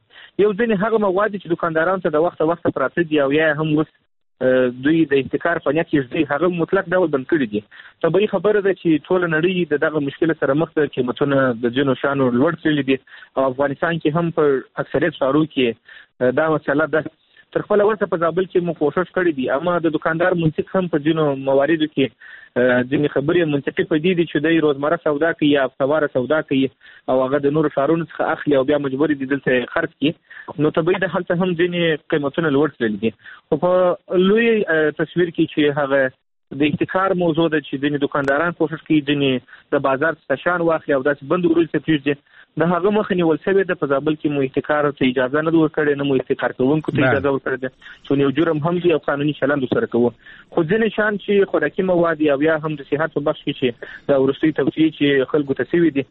یو ځینې هغه مواد چې دکاندارانو ته د وخته وخته پراته دي او یا هم اوس دوی د احتکار په نیت کې ږدي، هغه مطلق ډول بند کړي دي. طبیعي خبره ده چې ټوله نړۍ د دغه مشکل سره مخ ده، قیمتونه د ځینو شیانو لوړ تللي دي او افغانستان کې هم په اکثریت ښارو کې دا مسله ده. تر خپله وسه په زابل کې مو کوښښ کړی دی، اما د دکاندار منطق هم په ځینو مواردو کې ځینې خبرې منطقي په دې دي چې دی روزمره سودا کوي یا هفتهواره سودا کوي او هغه د نورو ښارونو څخه اخلي او بیا مجبور دي دلته یې خرڅ کړي. نو طبیعي ده هلته هم ځینې قیمتونه لوړ تللي دي. خو په لوی تصویر کې چې هغه د احتکار موضوع ده چې ځینې دکانداران کوښښ کوي ځینې د بازار څخه شیان واخلي او داسې بند ورو ته پرېږدي، د هغه مخه نیول شوې ده. په زابل کې مو احتکار ته اجازه نه ده ورکړې، نه مو احتکار کوونکو ته اجازه ورکړې ده، چې یو جرم هم دی او قانوني چلند ورسره کوو. خو ځینې شیان چې خوراکي مواد او یا هم د صحت په بخش کې چې د وروستۍ توصیې چې خلکو ته شوې دي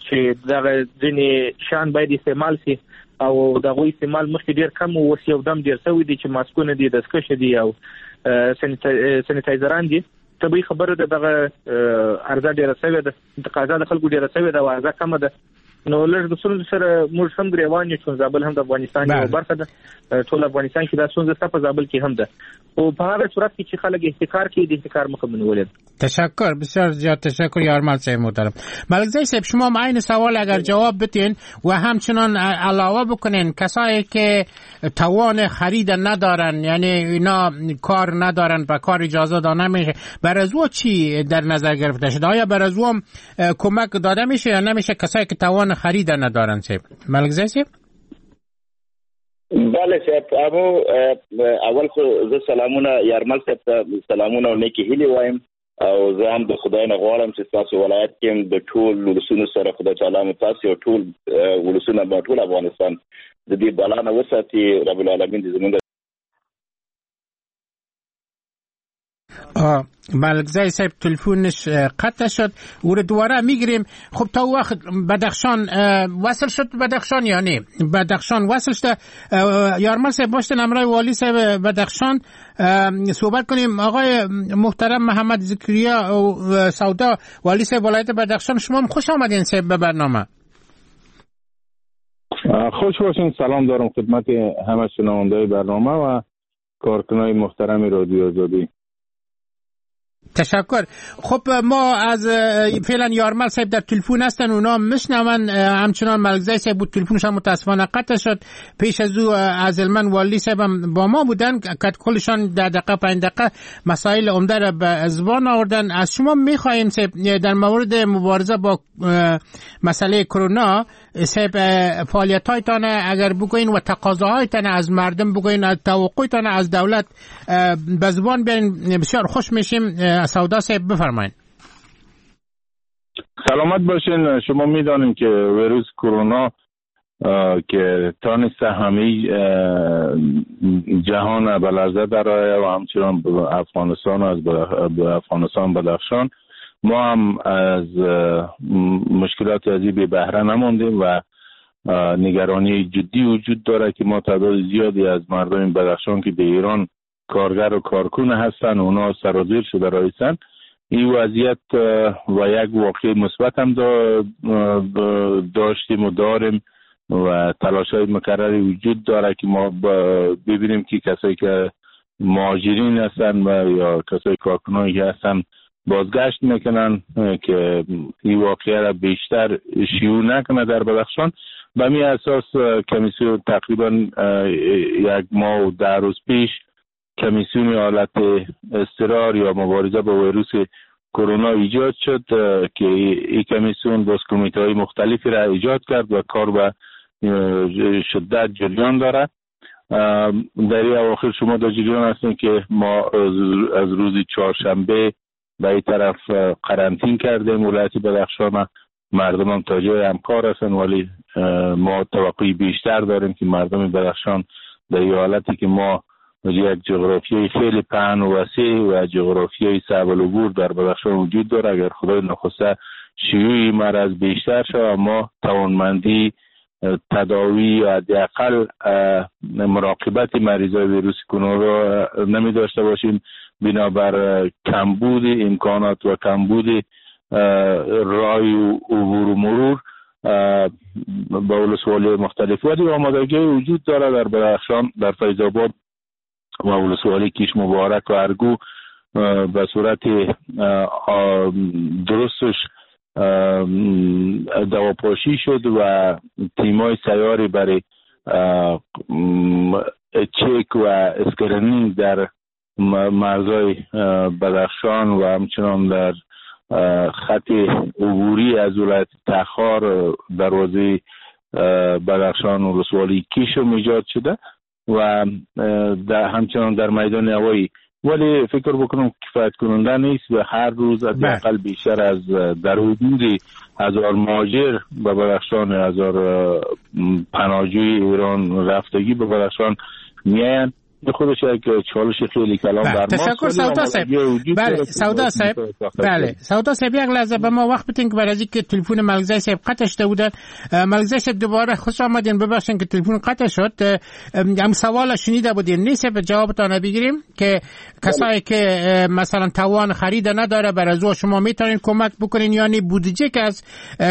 چې دغه ځینې شیان باید استعمال شي او د هغوی استعمال مخکې ډېر کم و، اوس یو دم ډېر شوی دی چې ماسکونه دي، دستکشې دي او سانیټایزران دي. طبیعي خبره ده دغه عرضه ډېره شوې ده، تقاضا د خلکو ډېره شوې ده او عرضه کمه ده. نو لږ د ستونزو سره موږ هم ګریوان یو، چې زابل هم د افغانستان یوه برخه ده، ټول افغانستان کې دا ستونزه شته، په زابل کې هم ده. خو په هغه صورت کې چې خلک احتکار کوي د احتکار مخه مو نیولې ده. تشکر، بسیار زیاد تشکر یارمل صاحب محترم. ملک زی صاحب شما هم عین سوال اگر جواب بدین و همچنان علاوه بکنین کسایی که توان خرید ندارن، یعنی اینا کار ندارن، به کار اجازه داده نمیشه، بر از او چی در نظر گرفته شده؟ آیا بر از او هم کمک داده میشه یا نمیشه کسایی که توان خرید ندارن؟ صاحب ملک زی صاحب. بله صاحب، امو اول خو زه سلامونه یارمل صاحب ته سلامونه او نیکې هیلې وایم، او زه هم د خدای نه غواړم چې ستاسو ولایت کې هم د ټول ولسونو سره خدای تعالی مو تاسو او ټول ولسونه به ټول افغانستان د دې بلا نه وساتي. رب العالمین دې زمونږ ملک زی صاحب تلفنش قطع شد، او رو دوباره میگیریم. خب تا وقت بدخشان وصل شد، بدخشان یا نه بدخشان وصل شد. یارمل صاحب باشتن امرای والی صاحب بدخشان صحبت کنیم. آقای محترم محمد زکریا سودا، والی صاحب ولایت بدخشان، شما هم خوش آمدین صاحب به برنامه. خوش باشین. سلام دارم خدمت همه شنونده‌های برنامه و کارکنای محترم رادیو آزادی. تشکر. خب ما از فعلا یارمل صاحب در تلفن هستن، اونا میشنون. همچنان ملک زی صاحب بود، تلفنش هم متاسفانه قطع شد. پیش از او از المن والی صاحب هم با ما بودن که کلشان 10 دقیقه 5 دقیقه مسائل عمده را به زبان آوردن. از شما میخواهیم صاحب در مورد مبارزه با مسئله کرونا صاحب فعالیت‌هایتان اگر بگوین و تقاضاهایتان از مردم بگوین، توقعتان از دولت به زبان بیارین، بسیار خوش میشیم. سودا صاحب بفرمایید. سلامت باشین. شما میدانیم که ویروس کرونا که تانست همه جهان به لرزه درآید و همچنان افغانستان و از افغانستان بدخشان، ما هم از مشکلات ازی بی بهره نماندیم و نگرانی جدی وجود داره که ما تعداد زیادی از مردم بدخشان که به ایران کارگر و کارکن هستن اونا سرازیر شده رایستن. این وضعیت و یک واقع مثبت هم داشتیم و داریم و تلاش های مکرری وجود داره که ما ببینیم که کسایی که مهاجرین هستن و یا کسایی کارکنانی که هستن بازگشت میکنن که این واقعه را بیشتر شیوع نکنه در بدخشان. به می اساس کمیسیون تقریبا 1 ماه و 10 روز پیش کمیسیون حالت اضطرار یا مبارزه با ویروس کرونا ایجاد شد که این کمیسیون باز کمیته های مختلفی را ایجاد کرد و کار به شدت جریان داره. در این اواخر شما در جریان هستین که ما از روز چهارشنبه به این طرف قرنطین کردیم ولایت بدخشان. مردم هم تا جای همکار هستن، ولی ما توقعی بیشتر داریم که مردم بدخشان در این حالتی که ما یک جغرافیای خیلی پهن و وسیع و جغرافیای صعب العبور در بدخشان وجود داره، اگر خدای نخواسته شیوع مرض بیشتر شود، ما توانمندی تداوی یا حداقل مراقبت مریضای ویروس کرونا را نمی داشته باشیم، بنابر کمبود امکانات و کمبود رای و عبور و مرور به ولسوالی مختلف. ولی آمادگی وجود داره در بدخشان، در فیض آباد و ولسوالی کیش مبارک و ارگو به صورت درستش دواپاشی شد و تیمای سیاری برای چک و screening در مرزهای بدخشان و همچنان در خط عبوری از ولایت تخار دروازه بدخشان و ولسوالی کیش ایجاد شده و در همچنان در میدان هوایی. ولی فکر بکنم کفایت کننده نیست و هر روز حداقل بیشتر از در حدود 1000 مهاجر به بدخشان، 1000 پناهجوی ایران رفتگی به بدخشان میاین. خودش یک چالش خیلی کلان بر ما. تشکر سودا صاحب. بله سودا صاحب، بله سودا صاحب، یک لحظه به ما وقت بدین که برای که تلفن ملکزی صاحب قطع شده بودن. ملکزی صاحب دوباره خوش آمدین، ببخشید که تلفن قطع شد. هم سوال شنیده بودین نیست، به جوابتان بگیریم که کسایی که مثلا توان خرید نداره بر از شما میتونین کمک بکنین، یعنی بودجه که از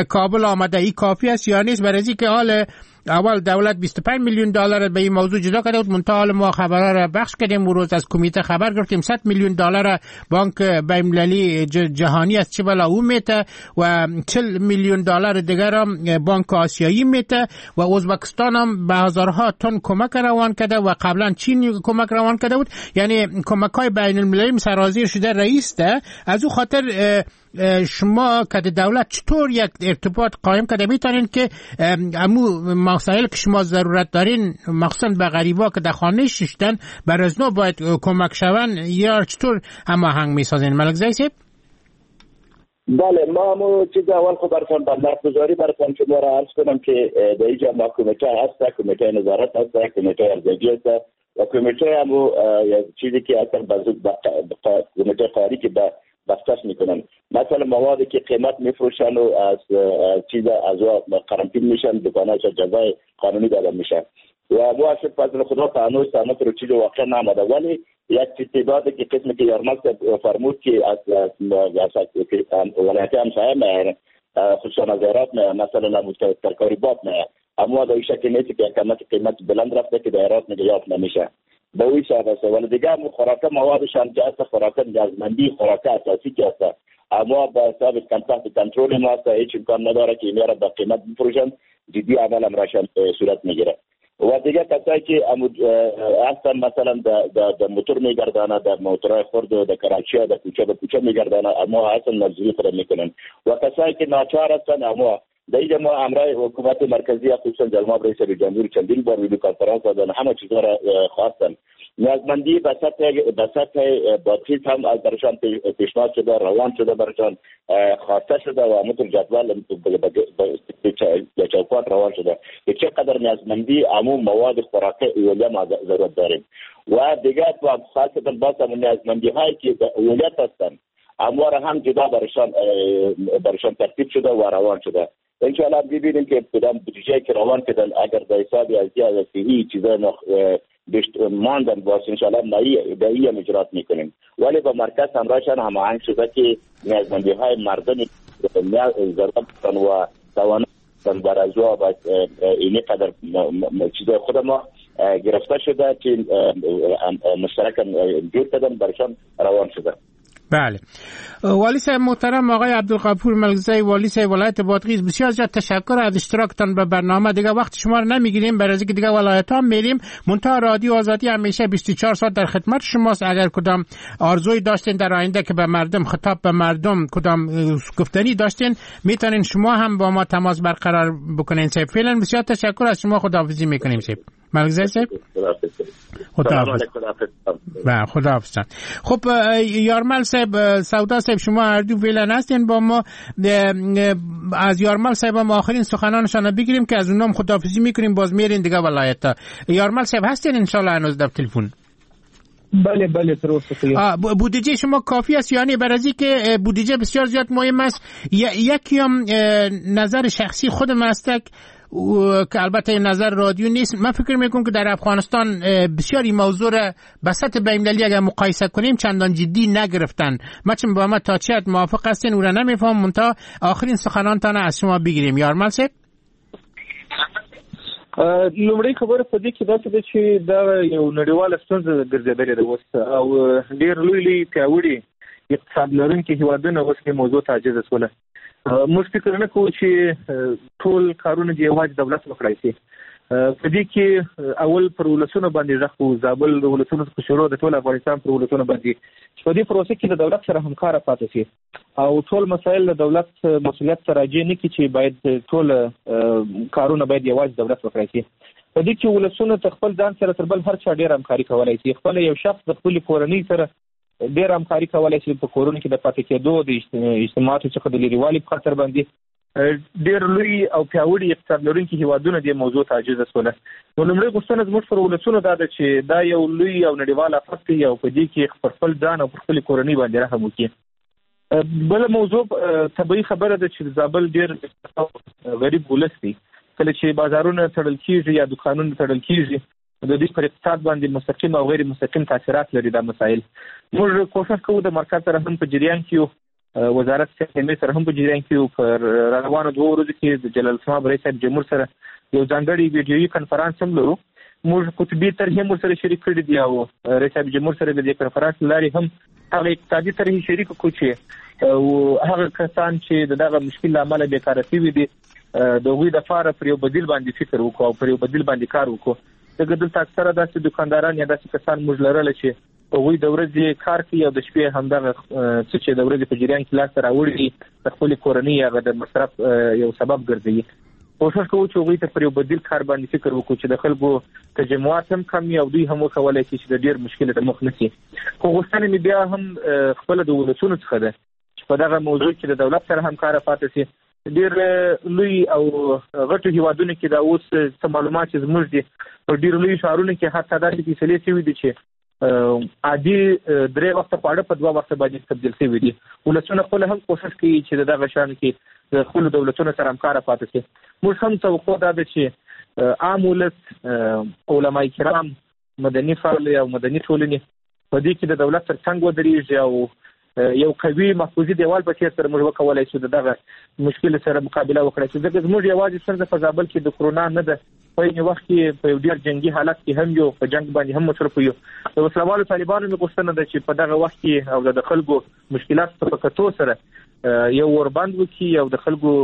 کابل آمده ای کافی است یا نیست؟ برای که حال اول دولت 25 میلیون دلار به این موضوع جدا کرده بود، منتها حال ما خبرها را بخش کردیم و روز از کمیته خبر گرفتیم 100 میلیون دلار بانک بین‌المللی جهانی از چه بلا او میته و 40 میلیون دلار دیگر هم بانک آسیایی میته و ازبکستان هم به هزارها تن کمک روان کرده و قبلا چین کمک روان کرده بود، یعنی کمک های بین المللی سرازیر شده رئیس ده. از او خاطر شما که دولت چطور یک ارتباط قایم کرده میتونین که امو مسائل که شما ضرورت دارین، مخصوصا به غریبا که در خانه ششتن بر از نو باید کمک شون، یا چطور هماهنگ میسازین ملک صاحب؟ بله، ما همو چیز اول خب براتون بندرگذاری براتون شما را عرض کنم که در اینجا ما کمیته هست، کمیته نظارت هست، کمیته ارزیابی هست و کمیته همو چیزی که اصلا کمیته قاری که بستش میکنن، مثلا موادی که قیمت میفروشن و از چیز از قرنطین میشن، دکان‌ها جزای قانونی داده میشن و ما فضل خدا تا هنوز رو چیز واقع نامده. ولی یک تعداد که قسمی که یارمک فرمود که از ولایت همسایه میایند، خصوصا از هرات میایند، مثلا ترکاری باب میایند، اما در این شکل نیست که قیمت بلند رفته که در هرات میگه یافت نمیشه به اوی حساب است. ولی دیگه هم خوراک موادش هم که هست، خوراک نیازمندی، خوراک اساسی که هست، اما به حساب تحت کنترل ما هست، هیچ امکان نداره که اینا را به قیمت بفروشن، جدی عمل امرشان صورت میگیره. و دیگه کسایی که هستن مثلا در موتور میگردانه، در موتورهای خرد و در کراچی در کوچه به کوچه میگردانه، اما هستن مزدوری خود میکنن و کسایی که ناچار هستن، اما در اینجا ما امرای حکومت مرکزی خصوصا جناب رئیس جمهور چندین بار ویدیو کنفرانس دادن، همه چیزها را خواستن. نیازمندی به سطح بادغیس هم از برشان پیشنهاد شده، روان شده، برشان خواسته شده و همونطور جدول به چوکات روان شده که چقدر نیازمندی عموم مواد خوراکی اولیه ما ضرورت داریم. و دیگه خاصتا باز هم نیازمندی هایی که اولیت هستند اما را هم جدا برشان ترتیب شده و روان شده. انشاءالله ببینیم که کدام بودجه که روان کردن اگر در حساب از صحی چیزای ماندن باز انشاءالله مایی هم اجرات میکنیم. ولی با مرکز همراهشان هماهنگ شده که نیازمندی های مردم ضرورت و توان بر از و اینی قدر چیزای خود ما گرفته شده که مشترکاً جور کردن برشان روان شده. بله. والی صاحب محترم آقای عبدالغفور ملکزی، والی صاحب ولایت بادغیس، بسیار زیاد تشکر از اشتراکتان به برنامه. دیگه وقت شما رو نمیگیریم، برای اینکه دیگه ولایت ها میریم. منتها رادیو آزادی همیشه 24 ساعت در خدمت شماست. اگر کدام آرزوی داشتین در آینده که به مردم خطاب به مردم کدام گفتنی داشتین، میتونین شما هم با ما تماس برقرار بکنین. صاحب فعلا بسیار تشکر از شما، خداحافظی میکنیم. صاحب ملکزی صاحب خداحافظ. و خداحافظ. خب یارمل صاحب، سودا صاحب، شما هر دو فعلا هستین با ما. از یارمل صاحب هم آخرین سخنانشان بگیریم که از اونام خداحافظی میکنیم، باز میرین دیگه ولایت ها. یارمل صاحب هستین انشالله هنوز در تلفن؟ بله بله تر اوسه. بودجه شما کافی است؟ یعنی برای که بودجه بسیار زیاد مهم است. یکی هم نظر شخصی خودم است که البته نظر رادیو نیست، من فکر میکنم که در افغانستان بسیار این موضوع را به سطح بین‌المللی اگر مقایسه کنیم چندان جدی نگرفتن. ما چون با ما تا چه حد موافق هستین او را نمیفهم، منتها آخرین سخنانتان از شما بگیریم. یارمل صاحب. لومړی خبره په دې کې داسې ده چې دا یو نړیواله ستونزه ګرځېدلې ده اوس، او ډېر لوی لوی پیاوړي اقتصاد لرونکي هېوادونه اوس دې موضوع ته عاجز شول. موږ فکر نه کوو چې ټول کارونه دې یوازې دولت وکړای شي. په دې کې اول پر ولسونو باندې غږ کوو، زابل د ولسونو څخه شروع د ټول افغانستان پر ولسونو باندې، چې په دې پروسه کې د دولت سره همکاره پاتې شي او ټول مسایل د دولت مسؤلیت ته راجع نه کړي چې باید ټول کارونه باید یوازې دولت وکړای شي. په دې کې ولسونه ته خپل ځان سره تر بل هر چا ډېر همکاري کولای شي. خپل یو شخص د خپلې کورنۍ سره ډېر همکاري کولای شي، په کورونو کې د پاتې کېدو، د اجتماعاتو څخه د لیرېوالي په خاطر باندې ډېر لوی او پیاوړي اقتصاد لرونکي هېوادونه دې موضوع ته عاجز شول. نو لومړۍ غوښتنه زموږ پر ولسونو دا ده چې دا یو لوی او نړیوال آفت دی او په دې کې پر خپل ځان او پر خپلې کورنۍ باندې رحم وکړي. بله موضوع طبیعي خبره ده چې زابل ډېر غریب ولس دی. کله چې بازارونه تړل کېږي یا دوکانونه تړل کېږي، د دوی پر اقتصاد باندې مستقیم او غیر مستقیم تاثیرات لري دا مسایل. موږ کوښښ کوو د مرکز سره هم په جریان کې یو، وزارت صحت سره هم په جریان کې یو. پر روانو 2 ورځو کې د جلالتمآب رئیس صاحب جمهور سره یو ځانګړی ویډیويي کنفرانس هم لرو. موږ قطبي طرحې هم ورسره شریک کړي دي او رئیس صاحب جمهور سره د دې کنفرانس له لارې هم هغه اقتصادي طرحې شریک کړو چې هغه کسان چې د دغه مشکل له امله بېکاره شوي دي د هغوی دپاره پر یو بدیل باندې فکر وکړو او پر یو بدیل باندې کار وکړو. ځکه دلته اکثره داسې دوکانداران یا داسې کسان موږ لرله چې هغوی د ورځې کار کوي او د شپې همدغه څه چې د ورځې په جریان کې لاسته راوړي دي د خپلې کورنۍ هغه د مصرف یو سبب ګرځوي. کوښښ کوو چې هغوی ته پر یو بدیل کار باندې فکر وکړو چې د خلکو تجمعات هم کم وي او دوی هم وکولای شي چې د ډېر مشکل ته مخ نه شي. خو غوښتنه مې بیا هم خپله د ولسونو څخه ده چې په دغه موضوع کې د دولت سره همکاره پاتې شي. ډېر لوی او غټو هیوادونو کې دا اوس څه معلومات چې زموږ دي، په ډېرو لویو ښارونو کې حتی داسې فیصلې شوي دي چې عادي 3 وخته خواړه په 2 وخته باندې تبدیل شوي دي. ولسونه خپله هم کوښښ کوي چې د دغه شان کې د خپلو دولتونو سره همکاره پاتې شي. موږ هم توقع دا ده چې عام ولس، علمای کرام، مدني فعال او مدني ټولنې په دې کې د دولت تر څنګ ودرېږي او یو قوي محفوظي دیوال په څېر سره موږ وکولای شو د دغه مشکل سره مقابله وکړای شو. ځکه زموږ یوازې ستونزه په زابل کې د کرونا نه ده، په عین وخت کې په یو ډېر جنګي حالت کې هم یو، په جنګ باندې هم مصروف یو. د وسلهوالو طالبانو مې غوښتنه ده چې په دغه وخت کې او د خلکو مشکلاتو ته په کتو سره یو اوربند وکړي او د خلکو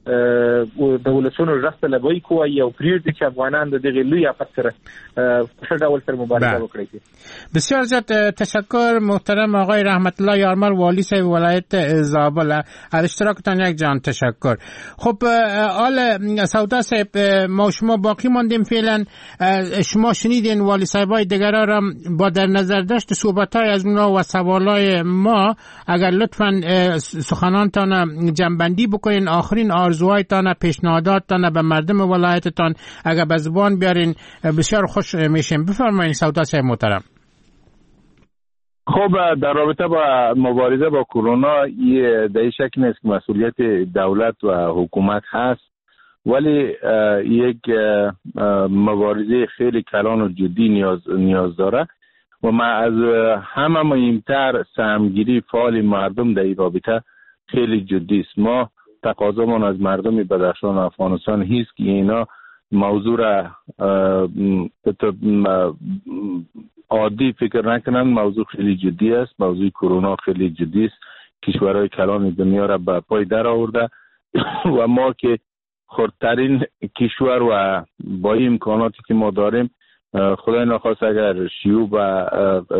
د ولسونو غږ ته لبیک ووایي او پرېږدي چې افغانان د دغې لوی آفت سره په ښه ډول سره مبارزه وکړي. بسیار زیاد تشکر محترم آقای رحمت الله یارمل، والی صاحب ولایت زابل، از اشتراکتان یک جان تشکر. خب آل سودا صاحب، ما شما باقی ماندیم فعلا. شما شنیدین والی صاحبای دیگرا را با در نظر داشت صحبت‌های از اونا و سوالای ما، اگر لطفاً سخنانتان جمع‌بندی بکنین، آخرین آرزوهایتان، پیشنهاداتتان به مردم ولایتتان اگر به زبان بیارین بسیار خوش میشیم. بفرمایید سودا صاحب محترم. خب در رابطه با مبارزه با کرونا در این شک نیست که مسئولیت دولت و حکومت هست، ولی یک مبارزه خیلی کلان و جدی نیاز داره و ما از همه مهمتر سهمگیری فعال مردم در این رابطه خیلی جدی است. ما تقاضامان از مردم بدخشان و افغانستان هیست که اینا موضوع را عادی فکر نکنن. موضوع خیلی جدی است، موضوع کرونا خیلی جدی است، کشورهای کلان دنیا را به پای در آورده و ما که خردترین کشور و با این امکاناتی که ما داریم، خدای نخواست اگر شیوع و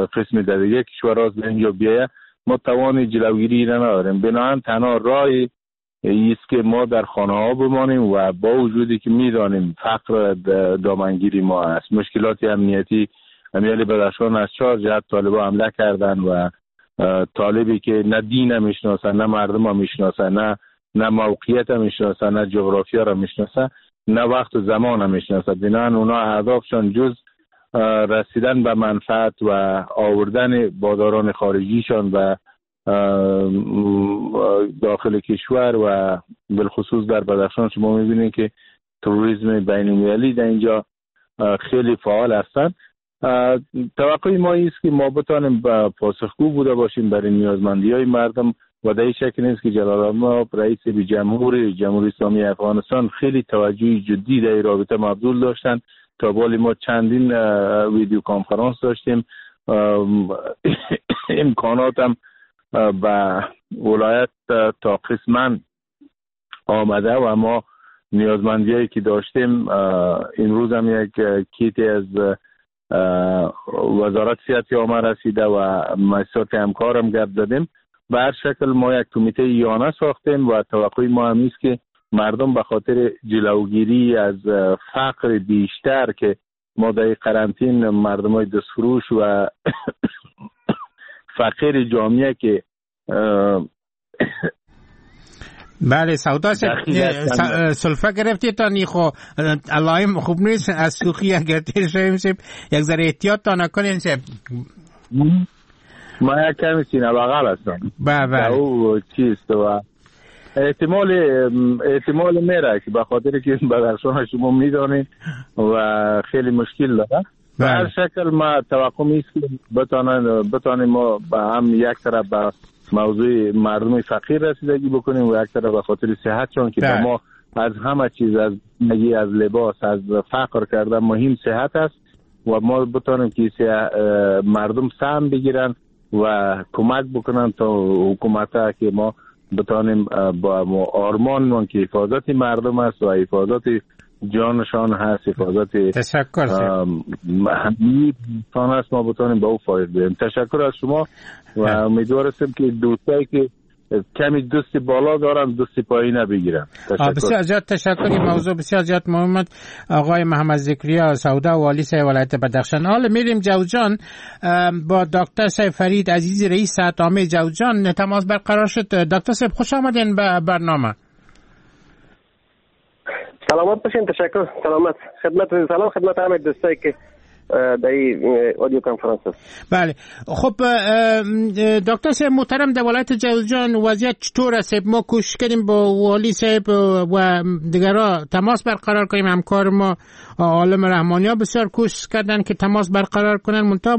قسم در دیگه کشورها از اینجا بیایه، ما توان جلوگیری را نداریم. بنابراین تنها راه است که ما در خانه ها بمانیم و با وجودی که میدانیم فقر دامنگیری ما است، مشکلات امنیتی امیال بدخشان از 4 جهت طالبا حمله کردن و طالبی که نه دین میشناسن، نه مردم میشناسن، نه موقعیت میشناسن، نه جغرافیا را میشناسن، نه وقت و زمان میشناسن. بنابراین اونا اهدافشان جز رسیدن به منفعت و آوردن بازاران خارجیشان و داخل کشور و بالخصوص در بدخشان شما میبینید که تروریسم بین المللی در اینجا خیلی فعال هستند. توقع ما است که ما بتانیم پاسخگو بوده باشیم برای نیازمندی های مردم و در این شک نیست که جلالتمآب رئیس جمهور جمهوری اسلامی افغانستان خیلی توجه جدی در این رابطه مبذول داشتند. تا بالی ما چندین ویدیو کنفرانس داشتیم، امکانات هم به ولایت تا قسما آمده و ما نیازمندیایی که داشتیم امروز هم یک کیتی از وزارت صحت آمده رسیده و مؤسسات همکارم گپ زدیم. به هر شکل ما یک کمیته یانه ساختیم و توقع ما هم است که مردم به خاطر جلوگیری از فقر بیشتر که ما در قرنطین مردم های دستفروش و فقیر جامعه که بله سودا سلفه گرفتی تا نیخو علایم خوب نیست از سوخی اگر تیر شویم سیب یک ذره احتیاط تا نکنین سیب. ما یک کمی سینه بغل هستم. بله او چیست و احتمال میره که به خاطر که بدخشان شما میدانید و خیلی مشکل داره. به هر شکل ما توقع میست که بتانیم ما به هم یک طرف به موضوع مردم فقیر رسیدگی بکنیم و یک طرف به خاطر صحت، چون که به ما از همه چیز، از زندگی، از لباس، از فقر کردن مهم صحت است و ما بتانیم که مردم سهم بگیرن و کمک بکنن تا حکومت که ما بتانیم با آرمان من که حفاظت مردم است و حفاظت جانشان هست، حفاظت تشکر همه است، ما بتانیم با او فایده بدیم. تشکر از شما و امیدوار هستم که دوستایی که کمی دست بالا دارن دست پایین بگیرن. بسیار زیاد تشکر. این موضوع بسیار زیاد مهم. آقای محمد ذکریا سودا، والی صاحب ولایت بدخشان. حالا میریم جوزجان، با دکتر صاحب فرید عزیزی، رئیس صحت عامه جوزجان تماس برقرار شد. دکتر صاحب، خوش آمدین به برنامه. سلامت باشین، تشکر، سلامت، خدمت سلام خدمت همه دوستایی که در این audio کنفرانس است. بله، خب دکتر صاحب محترم، در ولایت جوزجان وضعیت چطور است؟ ما کوشش کردیم با والی صاحب و دیگرها تماس برقرار کنیم. همکار ما عالم رحمانی ها بسیار کوشش کردن که تماس برقرار کنن، منتها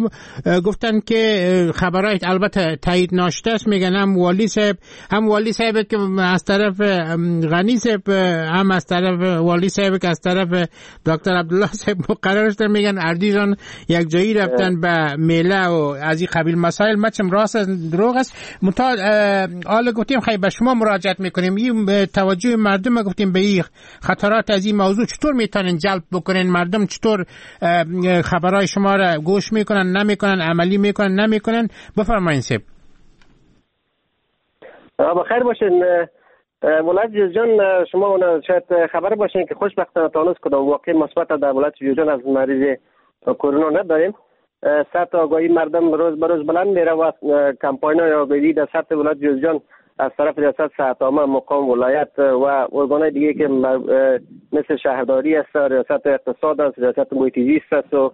گفتن که خبرهای البته تایید ناشته است. میگن هم والی صاحب که از طرف غنی صاحب، هم از طرف والی صاحب که از طرف دکتر عبدالله صاحب مقرر شده، میگن اردیجان یک جایی رفتن به میله و از این قبیل مسائل. مچم راست است دروغ است، منتها حالا گفتیم خیلی به شما مراجعت میکنیم. این توجه مردم گفتیم به این خطرات از این موضوع چطور میتونن جلب بکنن؟ مردم چطور خبرهای شما را گوش میکنن، نمیکنن، عملی میکنن، نمیکنن؟ بفرمایید صاحب. بخیر باشین. ولایت جوزجان شما شاید خبر باشین که خوشبختانه تا هنوز کدام واقع مثبت در ولایت جوزجان از مریض کرونا نداریم. سطح آگاهی مردم روز به روز بلند میره و کمپاین های آگاهی در سطح ولایت جوزجان از طرف ریاست صحت عامه مقام ولایت و ارگانهای دیگه که مثل شهرداری است، ریاست اقتصاد است، ریاست محیط زیست است و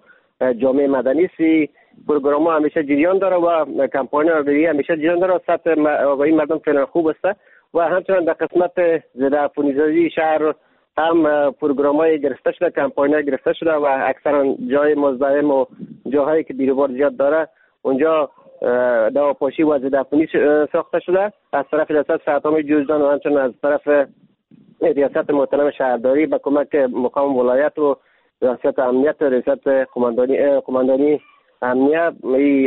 جامعه مدنی است، پروگرام ها همیشه جریان داره و کمپاین آگاهی همیشه جریان داره. سطح آگاهی مردم فعلا خوب است و همچنان در قسمت ضد عفونی‌سازی شهر هم پروگرام های گرفته شده، کمپاین های گرفته شده و اکثرا جای مزدحم و جاهایی که بیروبار زیاد داره اونجا دواپاشی و ضد عفونی ساخته شده از طرف ریاست صحت عامه جوزجان و همچنان از طرف ریاست محترم شهرداری به کمک مقام ولایت و ریاست امنیت و ریاست قماندانی امنیت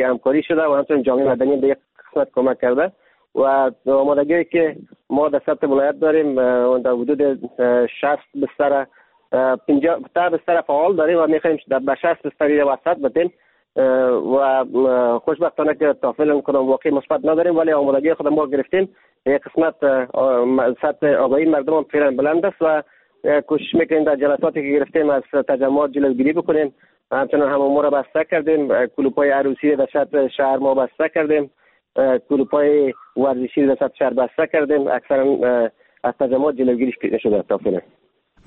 همکاری شده و همچنین جامعه مدنی به یک قسمت کمک کرده و آمادگی که ما در سطح ولایت داریم در حدود 60 بستر 50 بستر فعال داریم و میخوایم به 60 بستر وسط بدیم و خوشبختانه که تا فعلا کدام واقع مثبت نداریم، ولی آمادگی خود ما گرفتیم. یک قسمت سطح آگاهی مردم هم فعلا بلند است و کوشش میکنیم در جلساتی که گرفتیم از تجمعات جلوگیری بکنیم. همچنان حمام را بسته کردیم، کلوپ‌های عروسی در سطح شهر ما بسته کردیم، کلوپ‌های ورزشی در سطح شهر بسته کردیم. اکثرا از تجمعات جلوگیری شده تا فعلا.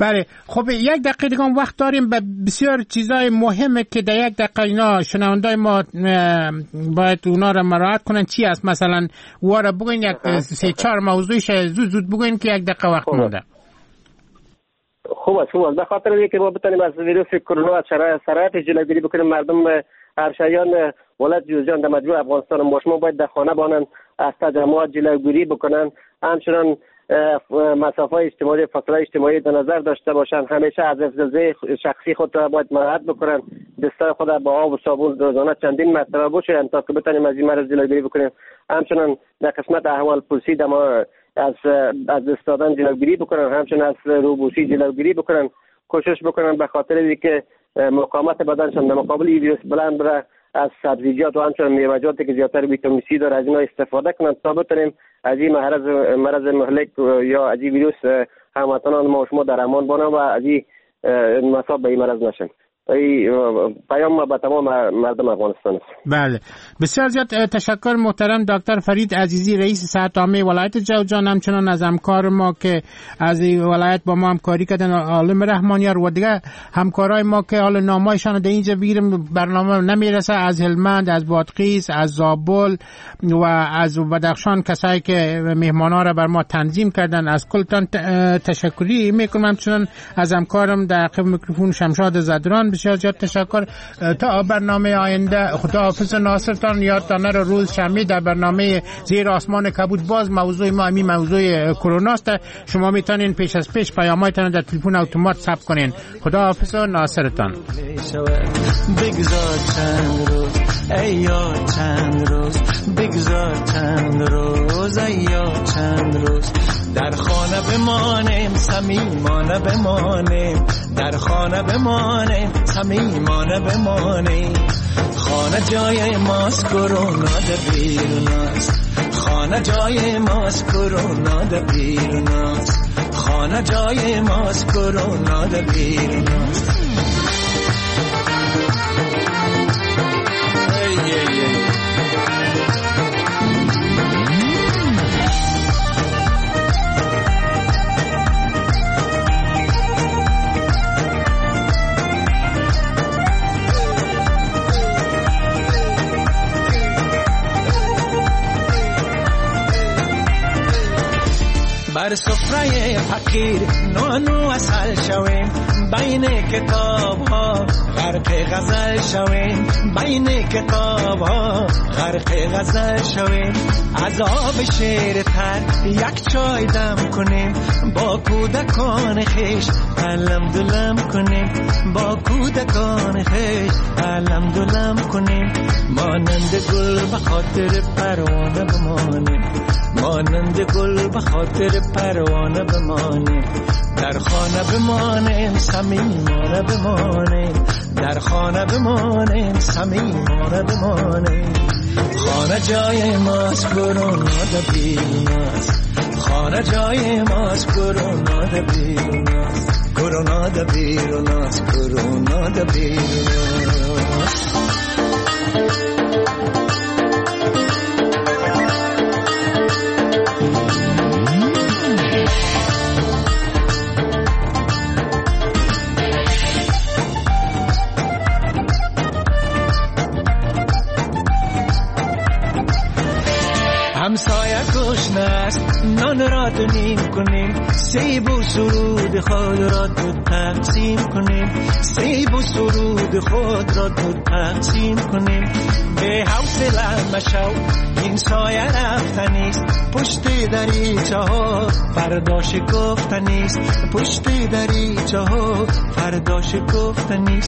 بله، خب یک دقیقه دیگه وقت داریم به بسیار چیزای مهمه که در یک دقیقه اینا شنوندای ما باید اونا را مراعات کنن. چی است مثلا؟ وارا بگوین یک 3-4 موضوعش زود زود بگوین که یک دقیقه وقت مونده. خوب است. به خاطر اینکه ما بتونیم از ویروس کرونا از شرایط جلوگیری بکنیم، مردم همشهریان ولایت جوزجان در مجموع افغانستان ما شما باید در خانه بانن، از تجمعات جلوگیری بکنن، همچنان مسافه اجتماعی، فاصله اجتماعی در نظر داشته باشند، همیشه از حفظ شخصی خود را باید مراعات بکنن، دستای خود را با آب و صابون روزانه چندین مرتبه بشویند تا که بتونیم از این مرض جلوگیری بکنیم. همچنان در قسمت احوال پرسی از دست دادن جلوگیری بکنن، همچنان از روبوسی جلوگیری بکنن، کوشش بکنن به خاطر اینکه مقاومت بدنشان در مقابل این ویروس بلند بره، از سبزیجات و همچنان میوه‌جاتی که زیادتر ویتامین سی داره از اینا استفاده کنند تا بتونیم از این مرض مهلک یا از این ویروس هموطنان ما و شما در امان بانند و از این مصاب به این مرض نشن. پیام ما به تمام مردم افغانستان است. بله، بسیار زیاد تشکر محترم دکتر فرید عزیزی، رئیس صحت عامه ولایت جوزجان، همچنان از همکار ما که از ولایت با ما همکاری کردن عالم رحمانیار و دیگه همکارای ما که حال نامایشان در اینجا بگیریم برنامه نمیرسه، از هلمند، از بادغیس، از زابل و از بدخشان، کسایی که مهمانا را بر ما تنظیم کردن، از کلتان تشکری میکنم. همچنان از همکارم در عقب میکروفون شمشاد زدران بسیار زیاد تشکر. تا برنامه آینده خداحافظ ناصرتان. یادتان نره روز شنبه در برنامه زیر آسمان کبود باز موضوع ما همین موضوع کرونا است. شما میتونین پیش از پیش پیام‌هایتان در تلفن اتومات ثبت کنین. خداحافظ ناصرتان. بگذار چند روز ای یار، چند روز بگذار، چند روز ای یار، چند روز در خانه بمانیم، صمیمانه بمانیم، در خانه بمانیم، صمیمانه بمانیم. خانه جای ماست، کرونا در بیرون است. خانه جای ماست، کرونا در بیرون است. خانه جای ماست، کرونا در بیرون است. بر سفره فقیر نان و عسل شویم، بین کتاب ها غرق غزل شویم، بین کتاب ها غرق غزل شویم. از آب شیر تر یک چای دم کنیم، با کودکان خویش علم دلم کنیم، با کودکان خویش علم دلم کنیم. مانند گل به خاطر پروانه بمانیم، مانند گل به خاطر پروانه بمانیم. در خانه بمانیم، صمیمانه بمانیم، در خانه بمانیم، صمیمانه بمانیم. خانه جای ماست، کرونا در بیرون است. خانه جای ماست، کرونا در بیرون است. کرونا در بیرون است، کرونا در بیرون است. همسایه گشنه است، نان را دو نیم کنیم، سیب و سرود خود را دو تقسیم کنیم، سیب و سرود سود خود را دو تقسیم کنیم. به حوصله مشو این سایه رفتنیست، پشت دریچه ها فردا شکفتنیست، پشت دریچه ها فردا شکفتنیست.